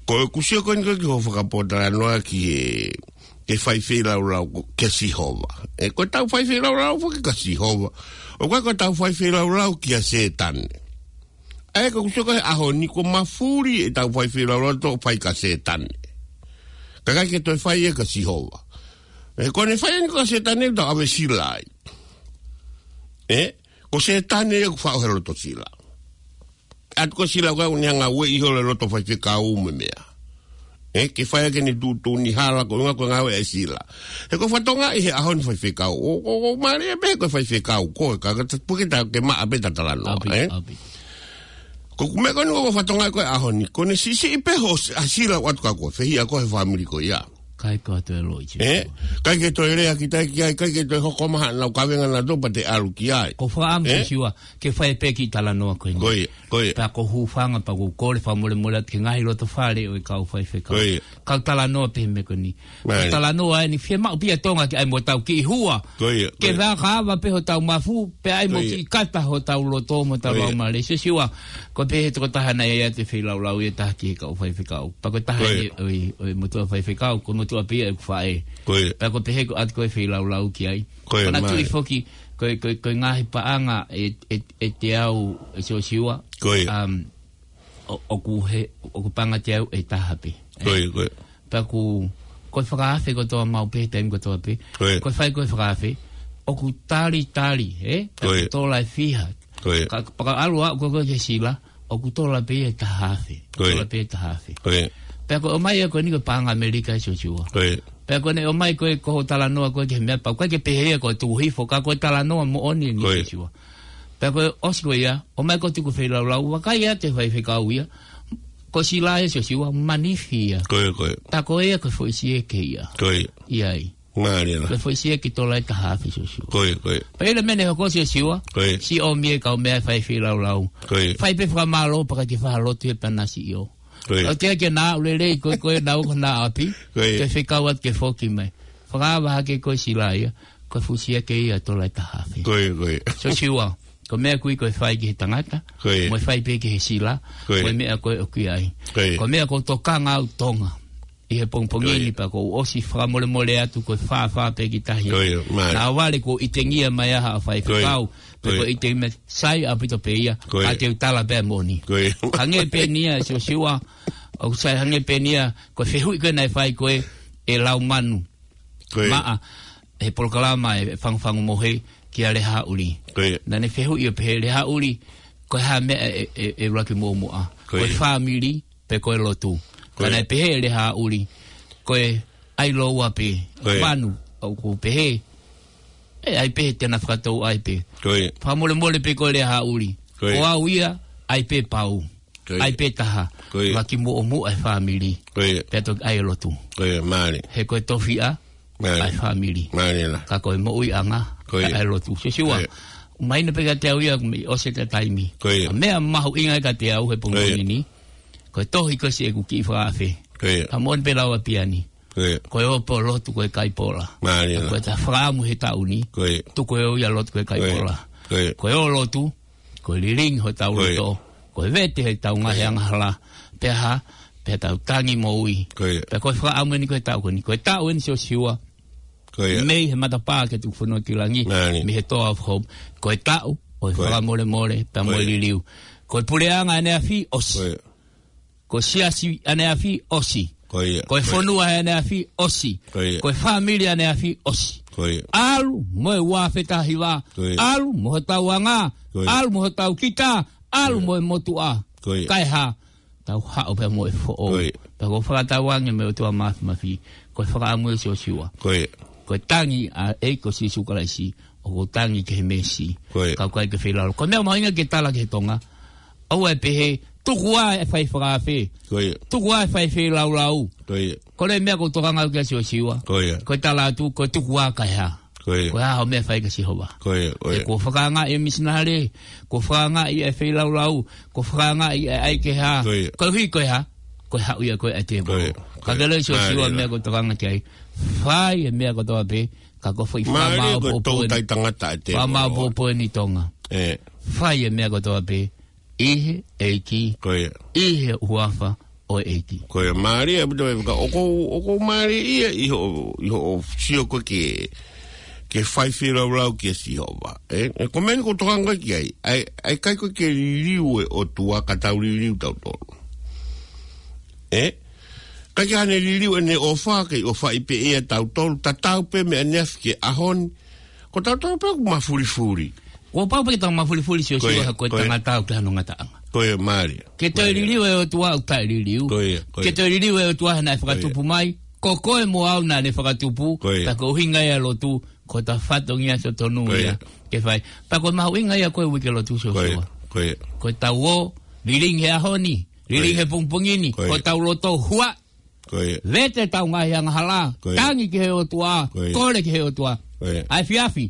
Ko ʻeku sio ko eni ko ē ki hoʻo fakapōtalanoa ki he, ke fai feilaulau ko, kia Sihova. Ē, ko ʻetau fai feilaulau foki kia Sihova. ʻOku ʻikai ko ʻetau fai feilaulau kia Sētane. ʻA ia ko ʻeku sio ko ē he ʻaho ni ko e mafuli ʻetau fai feilaulau ʻoku fai kia Sētane. Ka ʻikai ke toe fai ia kia Sihova. Ē, ko ʻene fai eni kia Sētane ʻoku tau ʻave sila ai. Ē, ko Sētane ia ʻoku faʻo he loto sila. ʻAtu ko e sila ko ē ʻoku ne hanga ʻo ueʻi holo e loto faifekau mo e meʻa. Ē, ke fai ʻaki ʻene tuʻutuʻuni hala ko e ʻuhinga ko e ngāue ʻa e sila. He ko e fatongia ʻi he ʻaho ni faifekau. ʻO, ʻo, ʻo mālie pē ko e faifekau. Ko e ka, ka, puke ta ke maʻa pē ta talanoa, ʻApī, ē? ʻApī. Ko ʻeku meʻa ko eni ko e fatongia ko e ʻaho ni. Ko ʻene siʻisiʻi pē hoʻo s-, ʻa sila ʻoku ʻatu kia koe. Fehiʻa koe he fāmili ko ia. Kai ko atu e loʻi Ē? Ē? ʻIkai ke toe lea ki tai ki ai, ʻikai ke toe hoko mai haʻanau kavenga naʻa tō pea te ʻalu ki ai. Ko e fakaʻamu Ē? Siosiua, ke fai pē kiʻi talanoa ko eni. Ko ia, ko ia. Pea ko e hūfanga pea ʻoku ou kole fakamolemole atu ki he ngaahi loto fale ʻo e kau faifekau. Ko ia. Kau talanoa pē he meʻa ko eni. Mālie. Kau talanoa eni fiemaʻu pē ʻa Tonga ke ʻai mo tau kiʻi hua. Ko ia, ko Ke ia. vaka ava pē hotau mafu, pea ʻai mo Ko ia. kiʻi kata hotau loto mo tau Ko ia. laumālie. Siosiua, ko e pehē tokotaha naʻe ʻai atu e feilaulau ia ʻe taha ki he kau faifekau. Pea ko e taha Ko ia. ʻi, ʻi, ʻi he motuʻa faifekau, ko e motuʻa pē ia ʻeku faʻē. Ko ia. Pea ko e pehē ko ʻatu ko e feilaulau ki ai. Ko ia, Ko ʻena mālie. tui foki, ko e, ko e, ko e ngaahi paʻanga ʻe, ʻe, ʻe teau ʻe Siosiua. Ko ia. Um, ʻo, ʻoku he, ʻoku paʻanga teau ʻe taha pē. Ko ia, ko ia. Pea ʻoku, ko e fakaafe kotoa maʻu pē, taimi kotoa pē. Ko ia. Ko e fai ko e fakaafe, ʻoku talitali, ē? Ko ia. ʻOku tola ʻe fiha. Ko ia. Ka, pea ka ʻalu ā ko ē ki he sila, ʻoku tola pē ʻe taha afe. Ko ia. Tola pē ʻe taha afe. Ko ia. Pea ko e ʻomai ia ko eni ko e paʻanga ʻAmelika ʻe Siosiua. Ko ia. Pea ko ʻene ʻomai ko ē ko hoʻo talanoa ko ē ki he meʻa pau. ʻIkai ke pehē ia ko e tuku hifo ka ko e talanoa moʻoni ʻeni Ko ia. Siosiua. Pea ko e ʻosi ko ia, ʻomai ko e tuku feilaulau, vakai atu e faifekau ia. Ko e sila ia Siosiua, manifi ia. Ko ia, ko ia. Pea ko ia ko e foʻi sieke ia. Ko ia. ʻI ai. Mālie lā. Ko e foʻi sieke tola ʻe taha afe Siosiua. Ko ia, ko ia. Pea ʻi he meʻa ne hoko Siosiua, Ko ia. siʻi ʻomi e kau meʻa fai feilaulau. Ko ia. Fai pē fakamālō pea ʻikai ke fakalotu ia pea na siʻi ō. Ko ia. ʻOua te ke na ʻulele ko ē, ko ē na ō ko ē ʻapi. Ko ia. Ke fekau atu ke foki mai. Fakaava hake ko e sila ia, ko e fuʻu sieke ia tola ʻe taha afe. Ko ia, ko ia. Siosiua, ko e meʻa ʻoku ʻikai ko e fai ki he tangata, Ko ia. mo e fai pē ki he sila, Ko ia. mo e meʻa ko ē ʻoku ʻi ai. Ko ia. Ko e meʻa ʻoku ou tokanga au Tonga. ʻI he pongipongi Ko ia. ni pea ʻoku ou ʻosi fakamolemole atu ko e fāfā pē ki tahi. Ko ia, mālie. Naʻa vale kuo ʻitengia mai ʻa haʻa faifekau. Ko ia. Pe Ko ia. ko e ʻitengia mai sai ʻaupito pē ia. Ko ia. Ka te u tala pē moʻoni. Ko ia. Hangē pē eni ia Siosiua, ʻoku sai hangē pē eni ia, ko e fehuʻi ko ē naʻe fai ko ē ʻe Laumanu. Ko ia. Maʻa, he polokalama ʻa e Fangufangu Mohe kia Lehāʻuli. Ko ia. Naʻá ne fehuʻi ʻo pehē, Lehāʻuli, ko e hā e meʻa ʻe, ʻe, ʻe ʻuluaki muʻomuʻa? Ko ia. Ko e fāmili, pe ko e lotu? Ko ia. Ka naʻe pehē ʻe Lehāʻuli, ko e ʻai lōua pē. Ko ia. Manu, ʻoku pehē, ʻe ʻai pē te na fakatouʻai pē. Ko ia. Fakamolemole pē ko Lehāʻuli. Ko ia. Ko au ia, ʻai pē pau. Ko ia. ʻAi pē taha. Ko ia. ʻUluaki muʻomuʻa e fāmili. Ko ia. Pea toki ʻai e lotu. Ko ia, mālie. He ko e tofiʻa, mālie, ʻa e fāmili. Mālie lā. Ka ko e moʻuiʻanga, ko ia, ʻa e lotu. Siosiua, ko ia, ʻomai na pē kiate au ia, ʻoku mei ʻosi ʻeta taimi. Ko ia. Ka meʻa mahuʻinga kiate au he pongipongi ni, ko ia, ko e tohi ko ē siʻeku kiʻi fakaafe. Ko ia. Ka moʻoni pē lau ʻa Piani. Ko ia. Ko e ō pē ʻo lotu ko e kai pola. Mālie lā. Ko ʻeta fakaʻamu he taʻu ni. Ko ia. Tuku e ō ia ʻo lotu ko e kai pola. Ko ia. Ko e ō ʻo lotu, ko e lilingi hotau loto. Ko ia. Ko e vete heʻetau ngaahi angahala. Ko ia. Pea hā, pea tau tangi moʻui. Ko ia. Pea ko e fakaʻamu eni ko e taʻu ko eni. Ko e taʻu eni Siosiua. Ko ia. Mei he matapā ki he tuku fonua ki langi. Mālie. Mei he Door of Hope. Ko e taʻu ʻo e, ko ia, fakamolemole, pea mo e, ko ia, liliu. Ko e puleʻanga ʻaneafi ʻosi. Ko ia. Ko e siasi ʻaneafi ʻosi. Ko ia. Ko e, ko ia, fonua ʻaneafi ʻosi. Ko ia. Ko e fāmili ʻaneafi ʻosi. Ko ia. ʻAlu mo e ua afe taha hiva. Ko ia. ʻAlu mo hotau anga. Ko ia. ʻAlu mo hotau kita. ʻAlu, ko ia, mo e motuʻa. Ko ia. Kae hā, tau haʻu pē mo e foʻou. Ko ia. Pea ʻoku ou fakatauange mei he ʻOtua Māfimafi, ko e fakaʻamu ē Siosiua. Ko ia. Ko e tangi ʻa e ʻEiki ko Sīsū Kalaisi, ʻoku ou tangi ki he mēsi. Ko ia. Ka ʻoku ʻikai ke feilaulau. Ko e meʻa mahuʻinga ke tala ki he Tonga, ʻoua ʻe pehē, tuku ā e fai fakaafe. Ko ia. Tuku ā e fai feilaulau. Ko ia. Ko e meʻa ʻoku ou tokanga au ki ai Siosiua. Ko ia. Ko e tala atu, ko e tuku ā kae hā. Ko ia. Ko e hā hoʻo meʻa ʻe fai kia Sihova. Ko ia, ko ia. He kuo fakaangaʻi e misinale, kuo fakaangaʻi e feilaulau, kuo fakaangaʻi e ʻai ke hā. Ko ia. Koeʻuhi ko e hā, ko e haʻu ia ko ē ʻa e tēvolo. Ko ia, ko ia. Ka ke loi Siosiua, mālie lā, meʻa ʻoku ou tokanga ki ai. Fai e meʻa kotoa pē, ka ko e foʻi, mālie, ko e fakamāopoopo eni, toutai tangata ʻa e tēvolo. Fakamāopoopo eni Tonga. ʻE. Fai e meʻa kotoa pē ʻi he ʻEiki, ko ia, ʻi he huafa ʻo e ʻEiki. Ko ia, mālie ʻaupito, ka ʻoku ou, ʻoku ou mālieʻia ʻi hoʻo, ʻi hoʻo sio ko ē ki he, ki he fai feilaulau kia Sihova. ʻE, ʻe, ko e meʻa ni ʻoku ou tokanga ko ē ki ai. ʻAi, ʻai, ʻikai ko e ke liliu e ʻOtua ka tau liliu tautolu. ʻE? ʻIkai ke ʻi ai haʻane liliu ʻene ʻofa, ke ʻofaʻi pē ʻe ia tautolu, tatau pē mei ʻaneafi ki he ʻaho ni. Ko tautolu pē ʻoku mafulifuli. Kuo pau pē ke tau mafulifuli Siosiua, ko ia, he ko e, ko ia, tangata ʻoku ʻikai hano ngataʻanga. Ko ia, mālie. Ke toe, mālie, liliu e ʻOtua ʻoku taʻeliliu. Ko ia, ko ia. Ke toe liliu e ʻOtua he naʻe, ko ia, fakatupu mai. Ko koe mo au naʻá ne fakatupu. Ko ia. Pea ko e ʻuhinga ia e lotu, ko ʻeta fatongia totonu ia, ko ia, ke fai. Pea ko e mahuʻinga ia ko ē uike lotu Siosiua. Ko ia, ko ia. Ko ʻetau ō, lilingi he ʻaho ni, lilingi, ko ia, he pongipongi ni, ko ia, ko ʻetau loto huaʻi. Ko ia. Vete ʻetau ngaahi angahala. Ko ia. Tangi ki he ʻOtua. Ko ia. Kole ki he ʻOtua. Ko ia. ʻAi efiafi.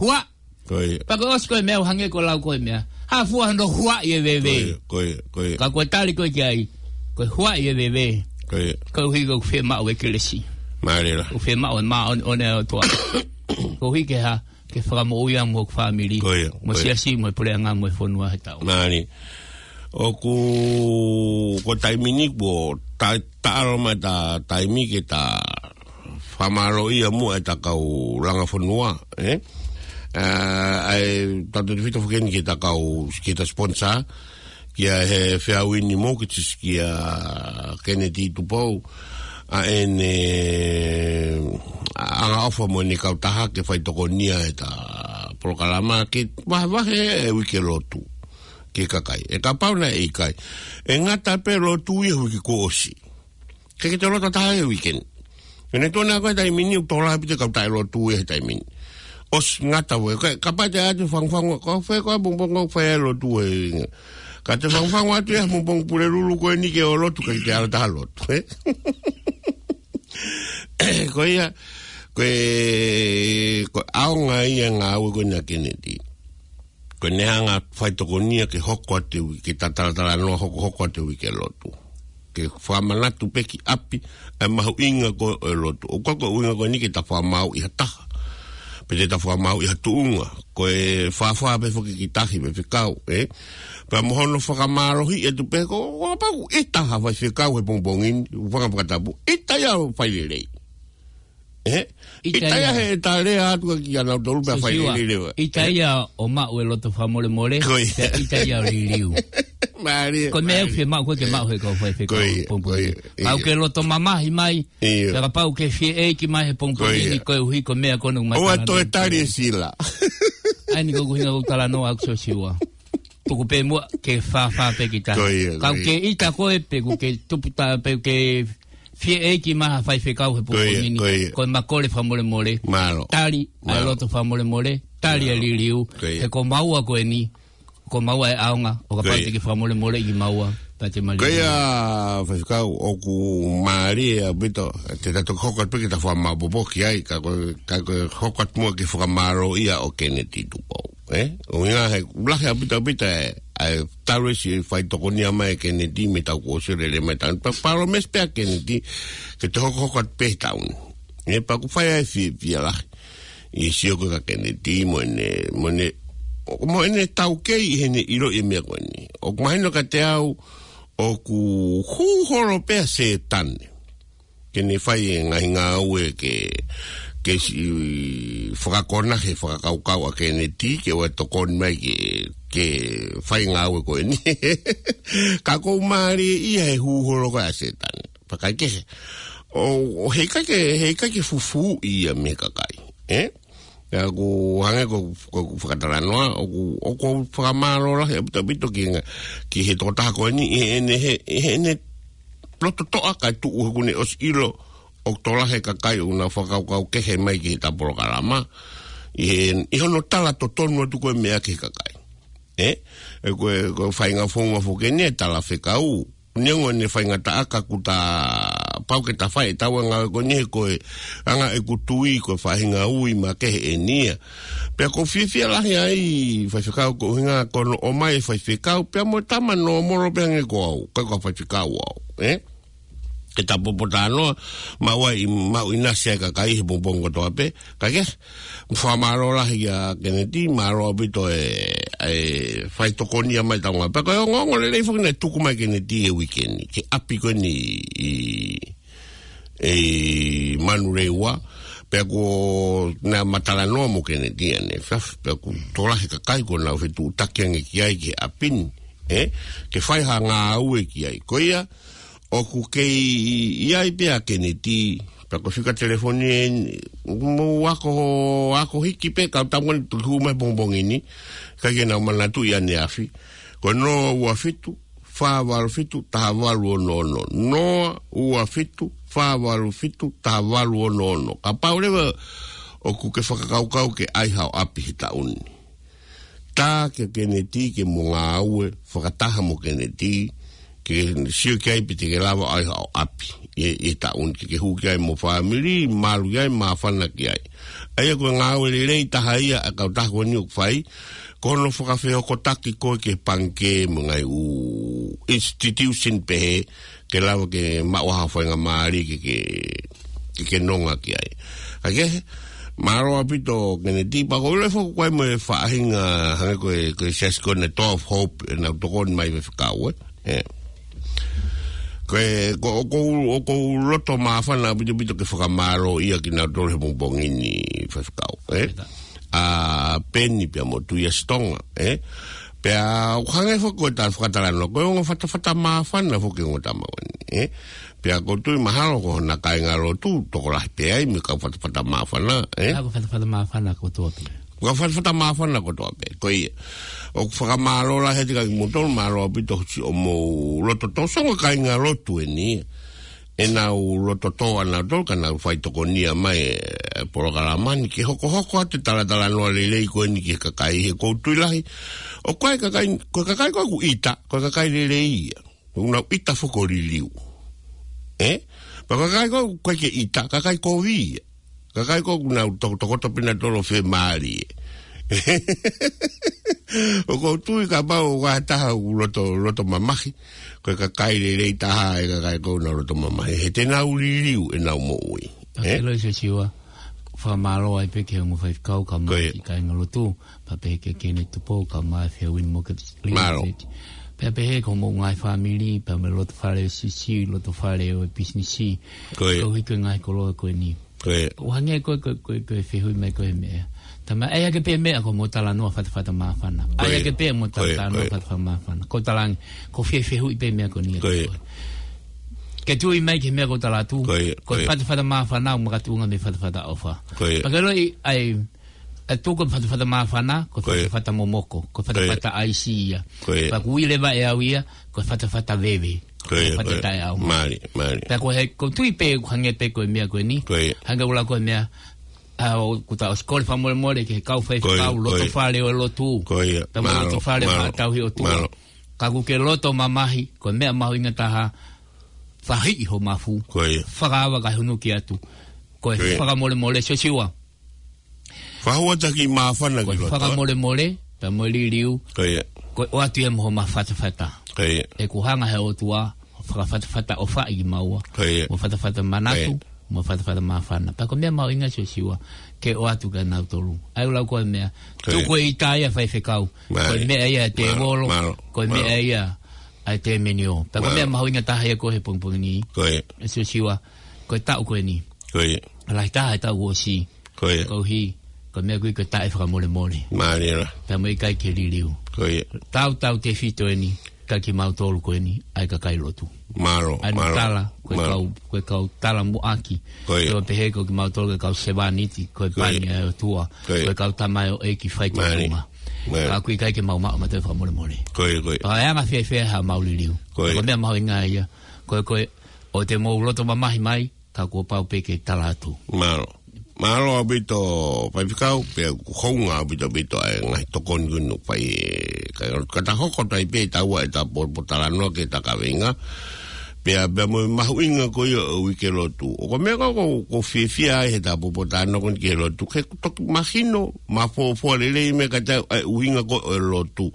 Huaʻi. Ko ia. Pea ko e ʻosi ko e meʻa ʻo hangē ko e lau ko e meʻa. Hā fua hono huaʻi e veve. Ko ia, ko ia, ko ia. Ka ko e tali ko ē ki ai, ko e huaʻi e veve. Ko ia. Koeʻuhi ko ʻeku fiemaʻu e kelesi. Mālie lā. ʻOku fiemaʻu e māʻoniʻoni ʻa e ʻOtua. Koeʻuhi ke hā, ke fakamoʻui au mo hoku fāmili. Ko ia, mo e, ko ia, siasi, mo e puleʻanga, mo e fonua he taʻu. Mālie. ʻOku, ko e taimi ni kuo ta-, taʻalo mai ʻeta taimi ke ta fakamālōʻia muʻa ʻeta kau langa fonua, ʻe? ʻA, ʻa e tautefito foki eni ki heʻeta kau, ki heʻeta sponsor, kia he Feauini Mortgages, kia Kennedy Tupou, ʻa ʻene angaʻofa mo ʻene kautaha ke fai tokonia ʻeta polokalama ke vahevahe e uike lotu ki he kakai. ʻE kapau naʻe ʻikai, ʻe ngata pē lotu ia he uike kuo ʻosi. Ke ke toe lotu taha he uike ni. He naʻe tuʻu ʻa e ngaahi taimi ni ʻoku tō lahi pē ʻete kau taʻelotu ia he taimi ni. ʻOsi ngata ua, ka, kapau te ʻai atu e fangufangu, ko fē ko ā pongipongi ʻoku fai ai e lotu ē. Ka te fangufangu atu ia he pongipongi Pulelulu ko eni ke ō lotu, ʻikai te ala taha lotu, ʻe? Ko ia, ko e, ko e ʻaonga ia e ngāue ko eni ʻa Kennedy. Ko ʻene hanga ʻo fai tokonia ke hoko atu e uike, ke ta talatalanoa hokohoko atu e uike lotu. Ke fakamanatu pē ki ʻapi ʻa e mahuʻinga ko ē ʻo e lotu. ʻOku ʻikai ko e ʻuhinga ko eni ke ta fakamāuʻi ha taha, pe te ta fakamāuʻi ha tuʻunga. Ko e fāfā pē foki ki he tahi mo e faifekau, ʻe? Pea mo hono fakamālohiʻi atu pē ko, ko kapau ʻe taha faifekau he pongipongi ni, ʻoku fanga fakatapu, ʻita ia ʻo fai lelei. ʻE? ʻIta ia, ʻita ia he ʻe ta lea atu kia nautolu pea fai lelei leva. ʻIta ia ʻo maʻu e loto fakamolemole, ko ia, pea ʻita ia ʻo liliu. Mālie, ko e meʻa mālie. Fiemaʻu ko ē ke maʻu he kau faifekau. Ko ia, pongipongi. Ko ia, ia. Kapau ke loto mamahi mai, ia. Pea kapau ke fie ʻeiki mai he pongipongi, ko ia, ni koeʻuhi ko e meʻa ko ē ʻoku mai. ʻOua toe tala tali e sila. ʻA eni ko e ʻuhinga ʻoku ou talanoa ʻaʻaku Siosiua. Tuku pē muʻa ke fāfā pē kita. Ko ia, ko ia. Kapau ke ʻita koe pe kuo ke tupu tā pe kuo ke fie ʻeiki mai ha faifekau he pongipongi ni. Ko ia, ko ia. Ko e makole fakamolemole. Mālō. Tali ʻa e, mālō, loto fakamolemole. Tali ʻa e, mālō, liliu. Ko ia. He ko maua ko eni. Ko maua e ʻaonga, ʻo kapau, ko ia, te ke fakamolemoleʻi kimaua, pea te mālie. Ko ia, faifekau, ʻoku mālie ʻaupito, te ta toki hoko atu pē ke ta fakamāpopo ki ai, ka ko, ka ko e hoko atu muʻa ke fakamālōʻia ʻo Keneti Tupou, ē? ʻUhinga he, lahi ʻaupito ʻaupito ē, ʻa e talu ʻa e siʻi faitokonia mai ʻa Keneti mei he taʻu kuo ʻosi ʻo lele mai taʻu ni. Pea palōmesi pē ʻa Keneti, ke te hokohoko atu pē he taʻu ni. Ē, pea ʻoku fai ai e fiefia lahi ʻi he sio ko ē kia Keneti mo ʻene, mo ʻene, mo ʻene taukei ʻi heʻene ʻiloʻi e meʻa ko eni. ʻOku mahino kiate au, ʻoku hū holo pē ʻa Sētane ke ne fai e ngaahi ngāue ke, ke siʻi fakakona he fakakaukau ʻa Keneti ke ʻoua ʻe tokoni mai ke, ke fai e ngāue ko eni. Ka ʻoku mālie ia he hū holo ko ē ʻa Sētane. Pea kae kehe, ʻo, ʻo heʻikai ke, heʻikai ke fufū ia mei he kakai, ē? Pea ʻoku hangē ko, ko, ko e fakatalanoa, ʻoku, ʻoku ou fakamālō lahi ʻaupito ʻaupito ki he ngā-, ki he tokotaha ko eni, ʻi heʻene, he, ʻi heʻene loto toʻa kae tuʻu he kuo ne ʻosi ʻilo ʻoku tokolahi e kakai ʻoku nau fakakaukau kehe mai ki heʻeta polokalama. ʻI he, ʻi hono tala totonu atu ko ē e meʻa ki he kakai. Ē? Ē, ko e, ko e faʻahinga founga foki eni e talafekau. Neongo ʻene faingataʻa ka ʻoku ta pau ke ta fai ʻetau ngāue ko eni he ko e anga ʻeku tui ko e faʻahinga ui makehe eni ia. Pea ʻoku ou fiefia lahi ai, faifekau, ko e ʻuhinga ko hono ʻomai e faifekau, pea mo e tama nōmolo pē hangē ko au, ʻikai ko ha faifekau au, ē? Ke ta popotalanoa, maʻu ai, maʻu ʻinasi ai e kakai he pongipongi kotoa pē, ka ke, fakamālō lahi kia Keneti, mālō ʻaupito e, e faitokonia mai ʻetau ngāue. Pea ko e ongoongo lelei foki naʻe tuku mai ʻe Keneti he uike ni, ki he ʻapi ko eni ʻi, ʻi Manurewa, pea ko ʻena talanoa mo Keneti ʻanefē, pea ʻoku tokolahi e kakai kuo nau fetuʻutaki ange ki ai ki he ʻapi ni, ē, ke fai ha ngāue ki ai. Ko ia, ʻoku kei ʻi ai pē ʻa Keneti, pea ko e fika telefoni eni, mou ako, ako hiki pē, kau tau ngoni tuku mai pongipongi ni, ʻikai ke nau manatuʻi ʻaneafi. Ko e noa ua fitu, fā valu fitu, taha valu ono ono. Noa ua fitu, fā valu fitu, taha valu ono ono. Kapau leva ʻoku ke fakakaukau ke ʻai haʻo ʻapi he taʻu ni, tā kia Keneti ke mo ngāue fakataha mo Keneti, ke sio ki ai pe te ke lava ʻai haʻo ʻapi ʻi, ʻi he taʻu ni, ke ke hū ki ai mo e fāmili, malu ki ai, māfana ki ai. ʻA ia ko e ngāue lelei taha ia ʻa e kautaha ko eni ʻoku fai, ko hono fakafehokotaki koe ki he pangikē mo e ngaahi ʻū institution pehē, ke lava ke maʻu ha faingamālie ke, ke, ke ke nonga ki ai. Ka ke, mālō ʻaupito Keneti, pea ʻoku ou ʻilo foki ʻoku ʻi ai mo e faʻahinga hangē ko e, ko e siasi ko eni Door of Hope, ʻenau tokoni mai faifekau, ē? Ē. Ko e, ko, ʻoku ou, ʻoku ou loto māfana ʻaupito ʻaupito ke fakamālōʻia kinautolu he pongipongi ni faifekau, ē? Ita. ʻA Peni pea mo Tuʻiasitonga, ē? Pea ʻoku hangē foki ko e tala fakatalanoa, ko e ongo fatafata māfana foki e ongo tama ko eni, ē? Pea ʻoku ou tui mahalo ko hona kāingalotu, tokolahi pē ai mei he kau fatafata māfana, ē? Kau fatafata māfana kotoa pē. Kau fatafata māfana kotoa pē, ko ia. ʻOku fakamālō lahi atu kia kimoutolu, mālō ʻaupito hoʻomou loto tō, ʻoku ongo kāingalotu eni, ʻenau loto tō ʻanautolu, ka nau faitokonia mai e polokalama ni ke hokohoko atu e talatalanoa lelei ko eni ki he kakai, he ʻoku ou tui lahi, ʻoku ʻi ai e kakai, ko e kakai ko ē ʻoku ʻita, ko e kakai lelei ia. ʻOku nau ʻita foki ʻo liliu. Ē? Pea ko e kakai ko ē ʻoku ʻikai ke ʻita, kakai kovi ia. Kakai ko ē ʻoku nau to-, tokoto pē ʻanautolu ʻo fiemālie. ʻOku ou tui kapau ʻoku ʻi ai ha taha ʻoku loto, loto mamahi, ko e kakai lelei taha e kakai ko ē ʻoku nau loto mamahi. He te nau liliu ʻenau moʻui. Ē? Ka ke loi Siosiua, fakamālō ai pē ki he ongo faifekau kae ʻumaʻā, ko ia, e kāingalotu, pea pehē kia Keneti Tupou kae ʻumaʻā e Fairwind Mortgage Limited. Mālō. Pea pehē ki hoʻomou ngaahi fāmili, pea mo e loto fale ʻo e siasi, loto fale ʻo e pisinisi. Ko ia. Koeʻuhi ko e ngaahi koloa ko eni. Ko ia. ʻOku hangē ko e, ko e, ko e, ko e fehuʻi mai ko ē he meʻa. Tama, ʻai ake pē meʻa ko mo talanoa fatafata māfana. ʻAi ake pē mo talanoa fatafata māfana. Ko e talange, ko e fiefiehuʻi pē meʻa ko eni. Ke tui mai ki he meʻa ko e tala atu. Ko e fatafata māfana, ʻoku makatuʻunga mei he fatafata ʻofa. Pea ke ʻiloʻi, ʻai, ʻai tuku e fatafata māfana, ko e fatafata momoko, ko e fatafata ʻaisi ia. Pea ʻoku ui leva ʻe au ia, ko e fatafata veve. Ko e fatafata taʻeʻaonga. Mālie, mālie. Pea ko e, ko e tui pē, ʻoku hangē pē ko e meʻa ko eni. Hangē ʻoku lau ko e meʻa, ʻa, ʻoku ta ʻosi kole fakamolemole ki he kau faifekau, loto fale ʻo e lotu. Ko ia. Pea mo loto fale ʻo e tauhi ʻOtua. Ka ʻoku ke loto mamahi, ko e meʻa mahuʻinga taha, fahiʻi ho mafu. Ko ia. Fakaava kae hunuki atu. Ko e fakamolemole, Siosiua. Fakahuataki māfana ki loto. Ko e fakamolemole, pea mo e liliu. Ko ia. Ko e ʻoatu ia mo homa fatafata. Ko ia. ʻOku hanga he ʻOtua, fakafatafata ʻofaʻi kimaua. Ko ia. Mo fatafata manatu, mo fatafata māfana. Pea ko e meʻa mahuʻinga, Siosiua, ke ʻoatu kia nautolu. ʻAi ʻo lau ko e meʻa. Ko ia. Tuku e ʻita ia faifekau. Ko e meʻa ia ʻa e tēvolo. Ko e meʻa ia ʻa e tēmeniō. Pea ko e meʻa mahuʻinga taha ia ko e he pongipongi ni. Ko ia. Siosiua, ko e taʻu ko eni. Ko ia. Lahi taha e taʻu ʻosi. Ko ia. Koeʻuhi, ko e meʻa ʻoku ui ko e taʻefakamolemole. Mālie lā. Pea mo e ʻikai ke liliu. Ko ia. Tautautefito ʻeni, kia kimautolu ko eni, ʻa e kakai lotu. Mālō, mālō. ʻA e tala, ko e kau, ko e kau tala muʻaki. Ko ia. Pea pehē ko kimautolu ko e kau sevāniti, ko e pani ʻa e ʻOtua. Ko ia. Ko e kau tamaioʻeiki fai ki ʻolunga. Mālie. Ka ʻoku ʻikai ke mau maʻu ʻa e taʻefakamolemole. Ko ia, ko ia. Pea ʻe anga fēfē haʻamau liliu. Ko ia. Ko e meʻa mahuʻinga ia. Ko e, ko e, ʻoua te mou loto mamahi mai, ka kuo pau pē ke tala atu. Mālō. Mālō ʻaupito faifekau, pea ʻoku hounga ʻaupito ʻaupito ʻa e ngaahi tokoni ko eni ʻoku fai ʻe, ka, ka ta hoko atu ai pē taua ʻeta popo talanoa ki heʻeta kaveinga. Pea, pea mo e mahuʻinga ko ia ʻo e uike lotu. ʻOku meʻa ko, ko, ʻoku ou fiefia ai heʻeta popo talanoa ko eni ki he lotu. Ke toki mahino, mafofoa lelei meʻa ka tau, ʻa e ʻuhinga ko ē ʻo e lotu.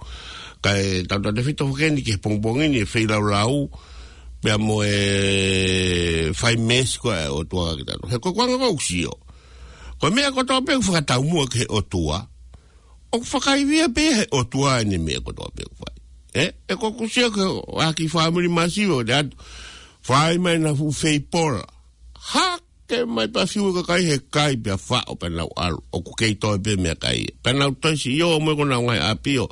Kae tautautefito foki eni ki he pongipongi ni ʻe feilaulau, pea mo e fai meesi ko ē ʻa e ʻOtua kia kitautolu. He ko e ʻuhinga ʻoku ou sio. Ko e meʻa kotoa pē ʻoku fakataumuʻa ki he ʻOtua. ʻOku fakaivia pē he ʻOtua ʻene meʻa kotoa pē ʻoku fai. ʻE, ʻe ʻoku ou sio ki he ʻaki fāmili masiva ʻo te atu. Fai mai ʻena fuʻu feipola. Hā ke mai pea fiu e kakai he kai pea faʻo pea nau ʻalu. ʻOku kei toe pē meʻakai. Pea nau toe siʻi ō mo e ko ʻenau ngaahi ʻapi ʻo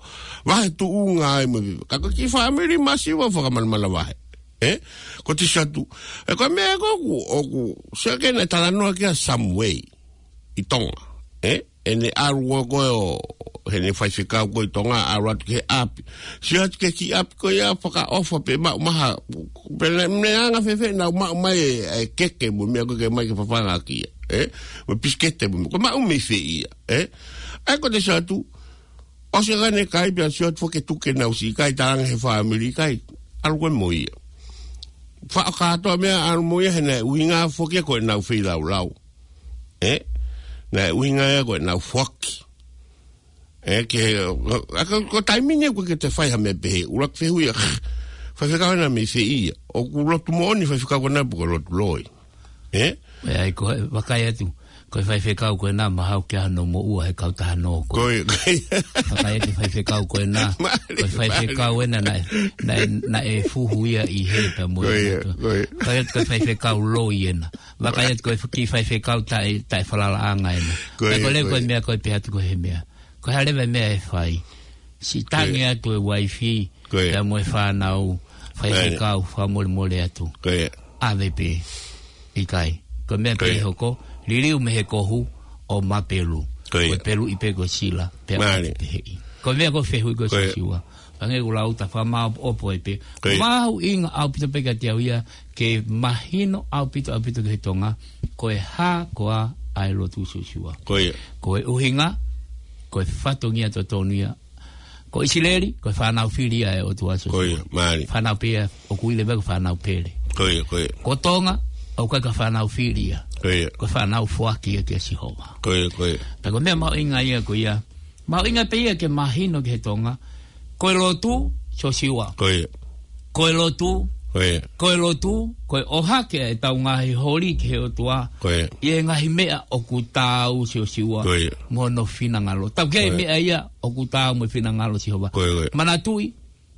vahe tuʻunga ai mo e viva. Ka ko e kiʻi fāmili masiva fakamanamana vahe. ʻE? Ko e T-shirt. ʻE ko e meʻa ko ē ʻoku, ʻoku, sio ki heʻene talanoa kia Samuei. ʻI Tonga. ʻE? ʻEne ʻalu ko ē ʻo, heʻene faifekau ko ē ʻi Tonga, ʻalu atu ki he ʻapi. Sio atu ki he kiʻi ʻapi ko ia fakaʻofa pē maʻu maha. Pea ne, ne anga fēfē nau maʻu mai e, e keke mo e meʻa ko ē ke mai ke fafanga ki ai. ʻE? Mo e pisikete mo e meʻa. Ko e maʻu mei fē ia. ʻE? ʻAi ko e T-shirt. ʻOsi ʻene kai pea sio atu foki ke tuku ke nau siʻi kai, talaange he fāmili kai. ʻAlu ko ē mo ia. Faʻo kātoa meʻa ʻalu mo ia he naʻe ʻuhinga foki ko ʻenau feilaulau. ʻE? Naʻe ʻuhinga ia ko ʻenau foaki. ʻE, ke, a, ko, ko e taimi ni ʻoku ke te fai ha meʻa pehē, ʻuluaki fehuʻi ia, faifekau ena mei fē ia, ʻoku lotu moʻoni faifekau ko ena pe ko e lotu loi. ʻE? ʻE, ʻai ko e, vakai atu, ko e faifekau ko ena mahalo ke ʻi ai hano moʻua he kautaha nō ko ē. Ko e, ko e. Vakai atu faifekau ko ena, mālie, ko e faifekau ena naʻe, naʻe, naʻe fuhu ia ʻi hē pea mo e. Ko e, ko e. Vakai atu ko e faifekau loi ena. Vakai atu ko e kiʻi faifekau taʻe, taʻefalalaʻanga ena. Ko e, pea ko e lea ko e, ko e meʻa ko e pehē atu ko e hā e meʻa. Ko e hā leva e meʻa ʻe fai. Siʻi tangi atu e uaifi, ko e, pea mo e fānau, faifekau, fakamolemole atu. Ko e. ʻAve pē, ʻikai. Ko e meʻa pē ʻe hoko, liliu mei he kohu ʻo mapelu. Ko e. Ko e peluʻi pē ko e sila, pea mālie. Ko e meʻa ko e fehuʻi ko e. Ko e. Siosiua. Hangē ko e lau ta fakamāʻopoʻopo ai pē. Ko e. Mahuʻinga ʻaupito pē kiate au ia, ke mahino ʻaupito, ʻaupito ki he Tonga, ko e hā koā ʻa e lotu Siosiua. Ko ia. Ko e ʻuhinga, ko e fatongia totonu ia. Ko ʻIsileli, ko e fānau fili ia ʻa e ʻOtua Siosiua. Ko ia, mālie. Fānau pē ia, ʻoku ui leva ko e fānau pele. Ko ia, ko ia. Ko Tonga, ʻoku ʻikai ko e fānau fili ia. Ko ia. Ko e fānau foaki ia kia Sihova. Ko ia, ko ia. Pea ko e meʻa mahuʻinga ia ko ia, mahuʻinga pē ia ke mahino ki he Tonga, ko e lotu, Siosiua. Ko ia. Ko e lotu, ko ia. Ko e lotu, ko e ʻohake ʻetau ngaahi holi ki he ʻOtua. Ko ia. ʻI he ngaahi meʻa ʻoku taau Siosiua. Ko ia. Mo hono finangalo. Tau ki ai. Ko ia. Meʻa ia ʻoku taau mo e finangalo Sihova. Ko ia, ko ia. Manatuʻi,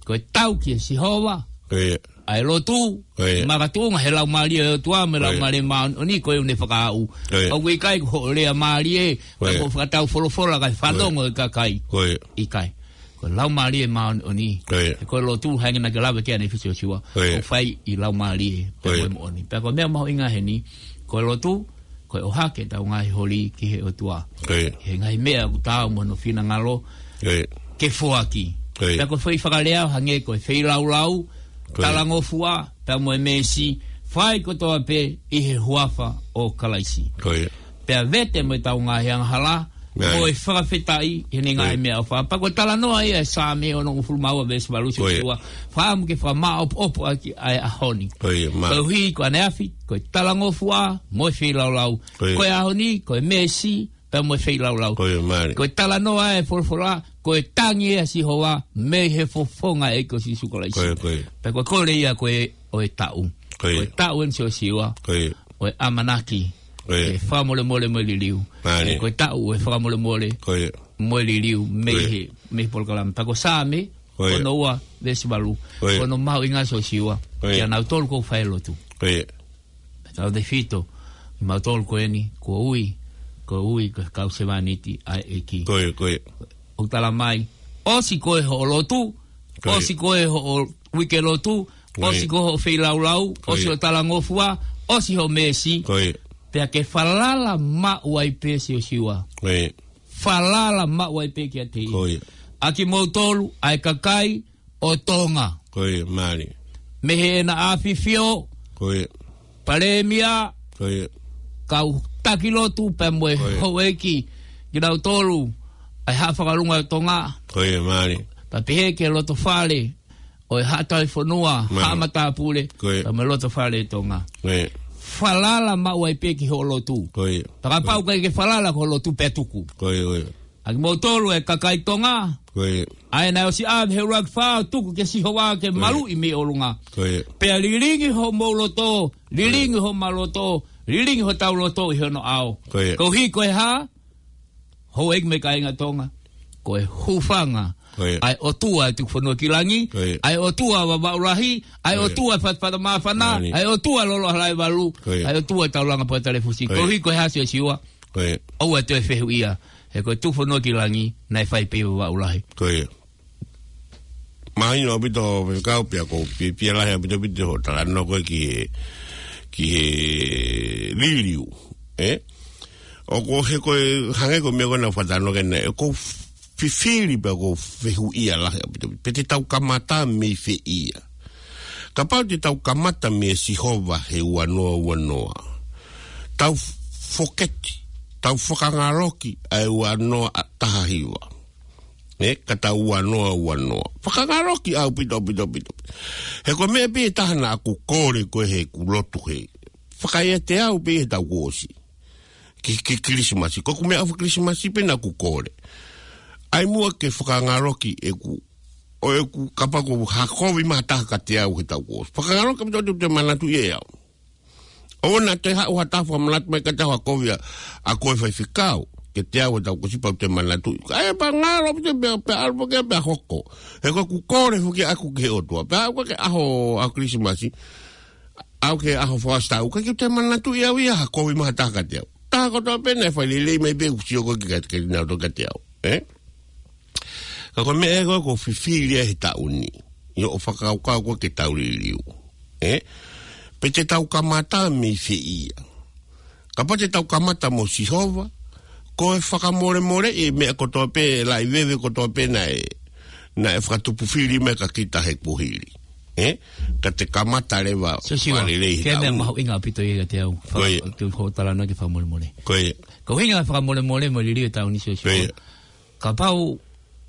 ko e tau kia Sihova. ʻA e lotu, makatuʻunga he Laumālie ʻo e ʻOtua mo e Laumālie Māʻoniʻoni ko ē ʻoku ne fakaaʻu. ʻOku ʻikai ko hoʻo lea mālie, ka ko e fakatau folofola kae fanongo e kakai. ʻIkai. Ko e Laumālie Māʻoniʻoni. He ko e lotu hangē naʻa ke lave ki ai ʻanefisi ʻo Siua. ʻOku fai ʻi Laumālie pea mo e moʻoni. Pea ko e meʻa mahuʻinga heni, ko e lotu, ko e ʻohake ʻetau ngaahi holi ki he ʻOtua. He ngaahi meʻa ʻoku taau mo hono finangalo ke foaki. Pea ko e foʻi fakalea ʻo hangē ko e feilaulau, talangofua, pea mo e meesi, fai kotoa pē ʻi he huafa ʻo Kalaisi. Pea vete mo ʻetau ngaahi angahala, mo e fakafetaʻi ʻi heʻene ngaahi meʻaʻofa. Pea ko e talanoa ia ʻa e Saame onongofulu mā ua veesi valu, Siua. Fakaʻamu ke fakamāʻopoʻopo ʻaki ʻa e ʻaho ni. Koeʻuhi ko ʻaneafi, ko e talangofua, mo e feilaulau. Ko e ʻaho ni, ko e meesi, pea mo e feilaulau. Ko e talanoa ʻa e folofola, ko e tangi ʻa Sihova, mei he fofonga ʻo e ʻEiki ko Sīsū Kalaisi. Pea ko e kole ia ko ē ʻo e taʻu. Ko e taʻu eni, Siosiua, ʻo e ʻamanaki, ʻo e fakamolemole mo e liliu. Ko e taʻu ʻo e fakamolemole mo e liliu mei he, mei he polokalama. Pea ko e Saame ono ua veesi valu. Ko hono mahuʻinga, Siosiua, kia nautolu ʻoku fai lotu. Pea tautefito kimautolu ko eni, kuo ui, kuo ui ko e kau sevāniti ʻa e ʻEiki. ʻOku tala mai, ʻosi ko ē hoʻo lotu, ʻosi ko ē hoʻo uike lotu, ʻosi ko ē hoʻo feilaulau, ʻosi hoʻo talangofua, ʻosi hoʻo meesi. Pea ke falala maʻu ai pē, Siosiua. Falala maʻu ai pē kiate ia. ʻA kimoutolu, ʻa e kakai ʻo Tonga. Mei heʻena ʻAfifio, Palēmia, kau taki lotu pea mo e houʻeiki, kinautolu ʻa e Haʻa Fakalunga ʻo Tonga. Pea pehē ki he loto fale ʻo e Haʻa Tauhi Fonua, Haʻa Matāpule, pea mo e loto fale ʻo Tonga. Falala maʻu ai pē ki hoʻo lotu. Pea kapau ʻoku ʻikai ke falala ki hoʻo lotu, pea tuku. ʻA kimoutolu ʻa e kakai Tonga, ʻa ē naʻe ʻosi ʻave he ʻuluaki fā, tuku kia Sihova ke maluʻi mei ʻolunga. Pea lilingi homou loto, lilingi homau loto, lilingi hotau loto ʻi hono ʻao. Koeʻuhi ko e hā? Houʻeiki mo e kāinga Tonga, ko e hūfanga ʻa e ʻOtua ʻo e tuku fonua ki langi, ʻa e ʻOtua ʻo Vavaʻu Lahi, ʻa e ʻOtua ʻo e Fatafata Māfana, ʻa e ʻOtua ʻo Loloʻohalae Valu, ʻa e ʻOtua ʻo Taulanga Pōtalēfusi. Koeʻuhi ko e hā, Siosiua? ʻOua ʻe toe fehuʻia, he ko e tuku fonua ki langi naʻe fai pē ʻi Vavaʻu Lahi. Mahino ʻaupito, Faifekau, pea ʻoku ou fiefia lahi ʻaupito ʻaupito hoʻo talanoa ko ē ki he, ki he liliu, ē? ʻOku, he ko e, hangē ko e meʻa ko ē naʻa ku fakatalanoa ki ai, ʻoku ou fifili pea ʻoku ou fehuʻia lahi ʻaupito ʻaupito pe te tau kamata mei fē ia. Kapau te tau kamata meia Sihova he ua noa ua noa, tau foketi, tau fakangaloki ʻa e ua noa taha hiva, ē, ka tau ua noa ua noa. Fakangaloki ʻaupito ʻaupito ʻaupito. He ko e meʻa pē ʻe taha naʻa ku kole ko ē heʻeku lotu, he fakaʻiate au pē heʻetau kuo ʻosi ki, ki Kilisimasi. Ko ʻeku meʻaʻofa Kilisimasi pē naʻa ku kole, ʻai muʻa ke fakangaloki ʻeku, ʻo ʻeku, kapau ko ha kovi mai ha taha kiate au heʻetau kuo ʻosi, fakangaloki ʻaupito ʻo te manatuʻi ʻe au. ʻOua naʻa toe haʻu ha taha fakamanatu mai kiate au ha kovi ʻa, ʻa koe Faifekau kiate au heʻetau kuo ʻosi, pea u toe manatuʻi. ʻAi pea ngalo ʻaupito pea, pea ʻalu pē ke pea hoko. He ko ʻeku kole foki ʻaʻaku ki he ʻOtua, pea aʻu ki he ʻaho, ʻaho Kilisimasi, aʻu ki he ʻaho fakaʻosi taʻu, ʻikai ke u toe manatuʻi ʻe au ia ha kovi mai ha taha kiate au. Taha kotoa pē naʻe fai lelei mai pē ʻeku sio ko ē ki, kiate kinautolu kiate au, ē? Ka ko e meʻa ē ko ē ʻoku ou fifili ai he taʻu ni, ʻi hoʻo fakakaukau ko ē ke tau liliu, ē? Pe te tau kamata mei fē ia. Kapau te tau kamata mo Sihova, ko e fakamolemoleʻi e meʻa kotoa pē, laʻi veve kotoa pē naʻe, naʻe fakatupu fili mai kia kita he kuohili, ē? Ka te kamata leva, Siosiua, fakalelei he taʻu ni. Ko e meʻa mahuʻinga ʻaupito ia kiate au. Ko ia. Ke hoʻo talanoa ki he fakamolemole. Ko ia. Ko e ʻuhinga e fakamolemole mo e liliu he taʻu ni, Siosiua. Ko ia. Kapau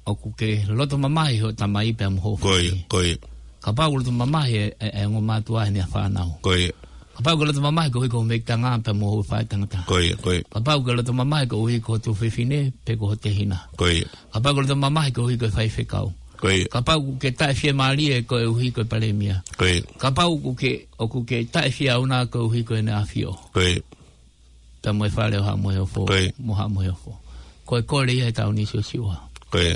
ʻoku ke loto mamahi hoʻo tamai pea mo hoʻo faʻē. Ko ia, ko ia. Kapau ʻoku loto mamahi e, e, e ongo mātuʻa heʻene fānau. Ko ia. Kapau ʻoku ke loto mamahi koeʻuhi ko hoʻo meʻa tangata pea mo hoʻo faʻētangata. Ko ia, ko ia. Kapau ʻoku ke loto mamahi koeʻuhi ko ho tuofefine pe ko ho tehina. Ko ia. Kapau ʻoku ke loto mamahi koeʻuhi ko e faifekau. Ko ia. Kapau ʻoku ke taʻefiemālie koeʻuhi ko e palēmia. Ko ia. Kapau ʻoku ke, ʻoku ke taʻefiauna koeʻuhi ko ʻEne ʻAfio. Ko ia. Pea mo e Fale ʻo Haʻa Moheofo. Ko ia. Mo Haʻa Moheofo. Ko e kole ia he taʻu ni, Siosiua. Ko ia.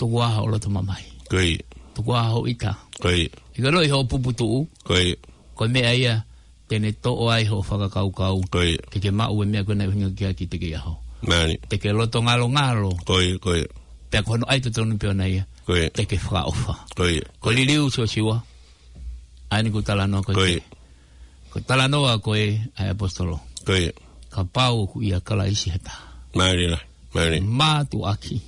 Tuku ā hoʻo loto mamahi. Ko ia. Tuku ā hoʻo ʻita. Ko ia. ʻIkai ke ʻilo ʻi hoʻo puputuʻu. Ko ia. Ko e meʻa ia te ne toʻo ai hoʻo fakakaukau. Ko ia. Ke ke maʻu e meʻa ko ē naʻe ʻuhinga ki ai ki he ʻaho. Mālie. Te ke loto ngalongalo. Ko ia, ko ia. Pea ko hono ʻai totonu pē ʻona ia. Ko ia. Te ke fakaʻofa. Ko ia. Ko e liliu Siosiua. ʻA eni ʻoku talanoa ko ē. Ko ia. Ko e talanoa ko ē ʻa e ʻaposetolo. Ko ia. Kapau ʻoku ʻia Kalaisi ha taha. Mālie lahi, mālie. Mātuʻaki.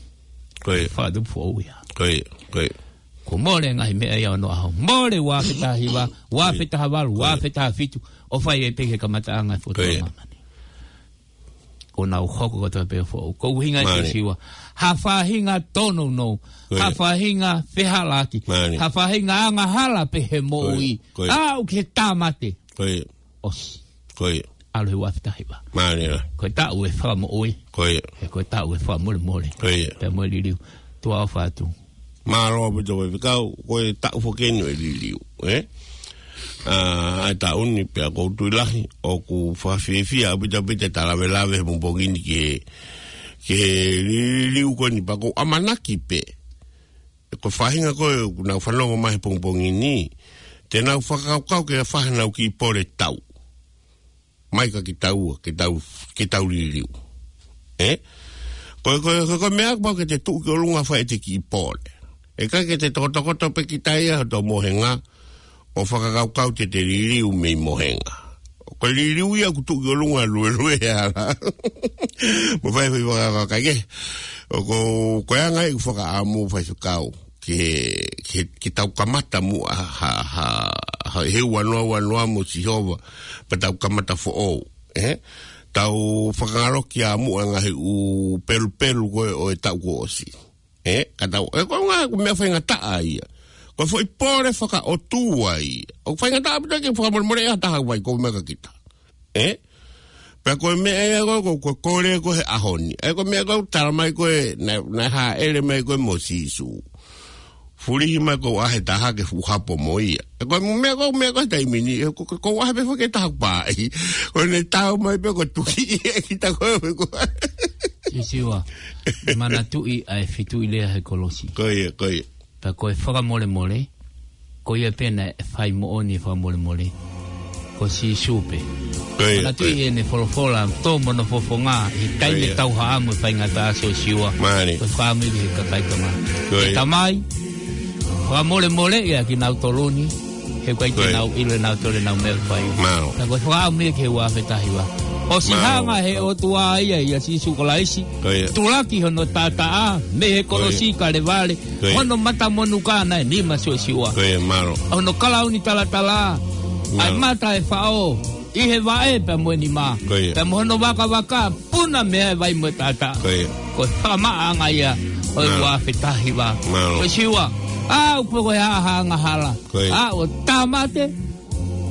Ko ia. Fakatupu foʻou ia. Ko ia, ko ia. Kuo mole ngaahi meʻa ia ʻo onoʻaho. Mole ua afe taha hiva, ua afe taha valu, ua afe taha fitu. ʻO fai ai pē ki he kamataʻanga e foʻi māmani. ʻO nau hoko kotoa pē foʻou. Ko e ʻuhinga ia Siosiua. Ha faʻahinga tōnounou. Ha faʻahinga fehālaaki. Ha faʻahinga angahala pē he moʻui. Aʻu ki he tāmate. ʻOsi. ʻAlu he ua afe taha hiva. Ko e taʻu e fakamoʻui. He ko e taʻu e fakamolemole. Pea mo e liliu. Tuʻa ʻofa atu. Mālō ʻaupito Faifekau, ko e taʻu foki eni ʻo e liliu, ē? ʻA, ʻa e taʻu ni pea ʻoku ou tui lahi, ʻoku fakafiefia ʻaupito ʻaupito e tau lavelave he pongipongi ni ki he, ki he liliu ko eni pea ʻoku ou ʻamanaki pē. Ko e faʻahinga ko ē ʻoku nau fanongo mai he pongipongi ni, te nau fakakaukau ke fai haʻanau kiʻi pole tau. Mai kia kitaua, ke tau, ke tau liliu. Ē? Ko e, ko e, ko e, ko e meʻa ʻoku pau ke te tuʻu ki ʻolunga fai ʻete kiʻi pole. ʻIkai ke te tokotokoto pē kita ia hoto mohenga, ʻo fakakaukau te te liliu mei mohenga. Ko e liliu ia ʻoku tuʻu ki ʻolunga luelue ala. Mo fai fai fakakaukau ke. ʻOku, ko e anga ia ʻeku fakaʻamu Faifekau. Ke, ke, ke tau kamata muʻa ha, ha, ha, he ua noa ua noa mo Sihova, pea tau kamata foʻou, ē? Tau fakangaloʻi ā muʻa ngaahi ʻū pelupelu ko ē ʻo e taʻu kuo ʻosi, ē? Ka tau, ē, ko e ngaahi, ko e meʻa faingataʻa ia. Ko e foʻi pole fakaʻotua ia. ʻOku faingataʻa ʻaupito ke fakamolemole ʻe ha taha ʻoku ʻi ai ko e meʻa kia kita. Ē? Pea ko e meʻa ia ko, ko, ko e kole ko ē he ʻaho ni. Ē, ko e meʻa ko ē tala mai ko ē, naʻe, naʻe hāʻele mai ko ē mo Sīsū. Fulihi mai ko ē ʻa e taha ke fuʻu hapo mo ia. Ē, ko e meʻa ko, meʻa ko ē taimi ni, ē, ko, ko, ko e ʻaho pē foki ʻe taha pē ai. Ko ʻene tau mai pē ko e tuki ia kita ko ē ko. Siosiua, manatuʻi ʻa e fitu ʻi lea he kolosi. Ko ia, ko ia. Pea ko e fakamolemole, ko ia pē naʻe fai moʻoni e fakamolemole. Ko Sīsū pē. Ko ia, manatuʻi ko ia. ʻEne folofola, tō mo hono fofonga, ʻi he taimi ʻe tau haʻamo e faingataʻa Siosiua. Mālie. Ko e fakaʻamu ia ki he kakai Tonga. Ko ia. ʻE Tamai, fakamolemoleʻi ʻa kinautolu ni, he ʻoku ʻikai te nau ʻilo ʻe nautolu ʻenau meʻa ʻoku fai. Mālō. Pea ko e fakaʻamu ia ki he ua afe taha hiva. ʻOsi hanga he ʻOtua ia ʻia Sīsū Kalaisi. Ko ia. Tulaki hono taʻataʻa, mei he kolosi Kalevale. Ko ia. Hono matamonuka naʻe nima Siosiua. Ko ia, mālō. Hono kalauni talatala. ʻA e mata e faʻo. ʻI he vaʻe pea mo e nima. Ko ia. Pea mo hono vakavaka, puna mei ai e vai mo e taʻataʻa. Ko ia. Ko e fakamaʻaʻanga ia ʻo e ua afe taha hiva. Mālō. Siosiua. ʻA, ʻoku pau ko e haʻahaʻa angahala. Ko ia. ʻA, ʻo tāmate.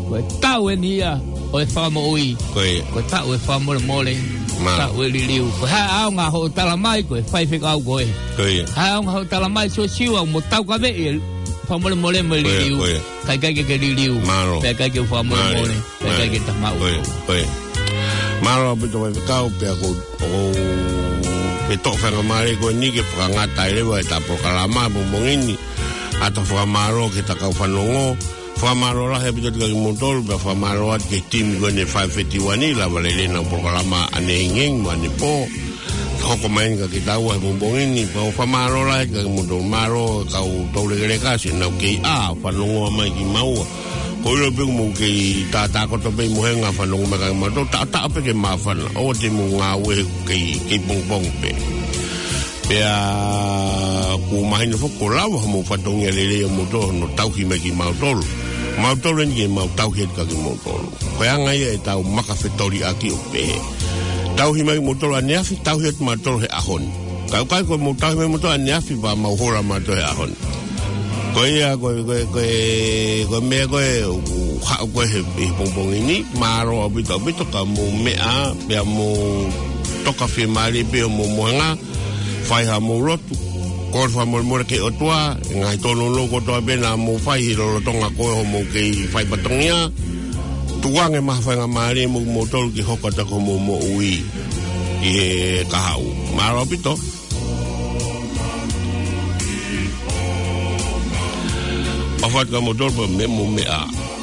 Ko e taʻu eni ia ʻo e fakamoʻui. Ko ia. Ko e taʻu e fakamolemole. Mālō. Taʻu e liliu. Ko e hā e ʻaonga hoʻo tala mai ko e faifekau ko ē. Ko ia. Hā e ʻaonga hoʻo tala mai Siosiua mo taukaveʻi e fakamolemole mo e liliu. Ko ia, ko ia. Ka ʻikai ke ke liliu. Mālō. Pea ʻikai ke fakamolemole. Mālō. Pea ʻikai ke ta maʻu. Ko ia, ko ia. Mālō ʻaupito Faifekau pea ko, ʻoku ou fie toʻo faingamālie ko eni ke fakangata ai leva ʻeta polokalama pongipongi ni. ʻA ʻeta fakamālō ki he kau fanongo. Fakamālō lahi ʻaupito kia kimoutolu, pea fakamālō atu ki he timi ko eni ʻa e Five Fifty-one, lava lelei ʻenau polokalama ʻanehengeheng mo ʻanepō. Hoko mai eni kia kitaua he pongipongi ni, pea ʻoku ou fakamālō lahi kia kimoutolu, mālō kau toulekeleka, siʻi ʻenau kei ʻā, fanongo mai kimaua. ʻOku ou ʻilo pē ʻoku mou kei tātākoto pē ʻi mohenga fanongo mai kia kimautolu, taʻotaʻo pē ke māfana, ʻoua te mou ngāue he kei, kei pongipongi pē. Pea ʻoku mahino foki ʻoku lava homou fatongia lelei ʻamoutolu hono tauhi mai kimautolu. Mautolu eni ke mau tauhi atu kia kimoutolu. Ko e anga ia ʻetau maka fetoliʻaki ʻo pehē. Tauhi mai kimoutolu ʻaneafi, tauhi atu mautolu he ʻaho ni. Ka ʻoku ʻikai ko hoʻomou tauhi mai kimoutolu ʻaneafi pea mau hola mautolu he ʻaho ni. Ko ia, ko e, ko e, ko e, ko e meʻa ko ē, ʻoku haʻu ko ē he, he pongipongi ni, mālō ʻaupito, ʻaupito ka mou meʻa, pea mou toka fiemālie pē homou mohenga, fai haʻamou lotu, kole fakamolemole ki he ʻOtua, e ngaahi tōnounou kotoa pē naʻa mou fai ʻi he lolotonga ko ē hoʻomou kei fai fatongia, tuku ange mai ha faingamālie mo kimoutolu ke hoko atu ko hoʻomou moʻui ʻi he kahaʻu. Mālō ʻaupito. Patu ka motolo pa me mo me a.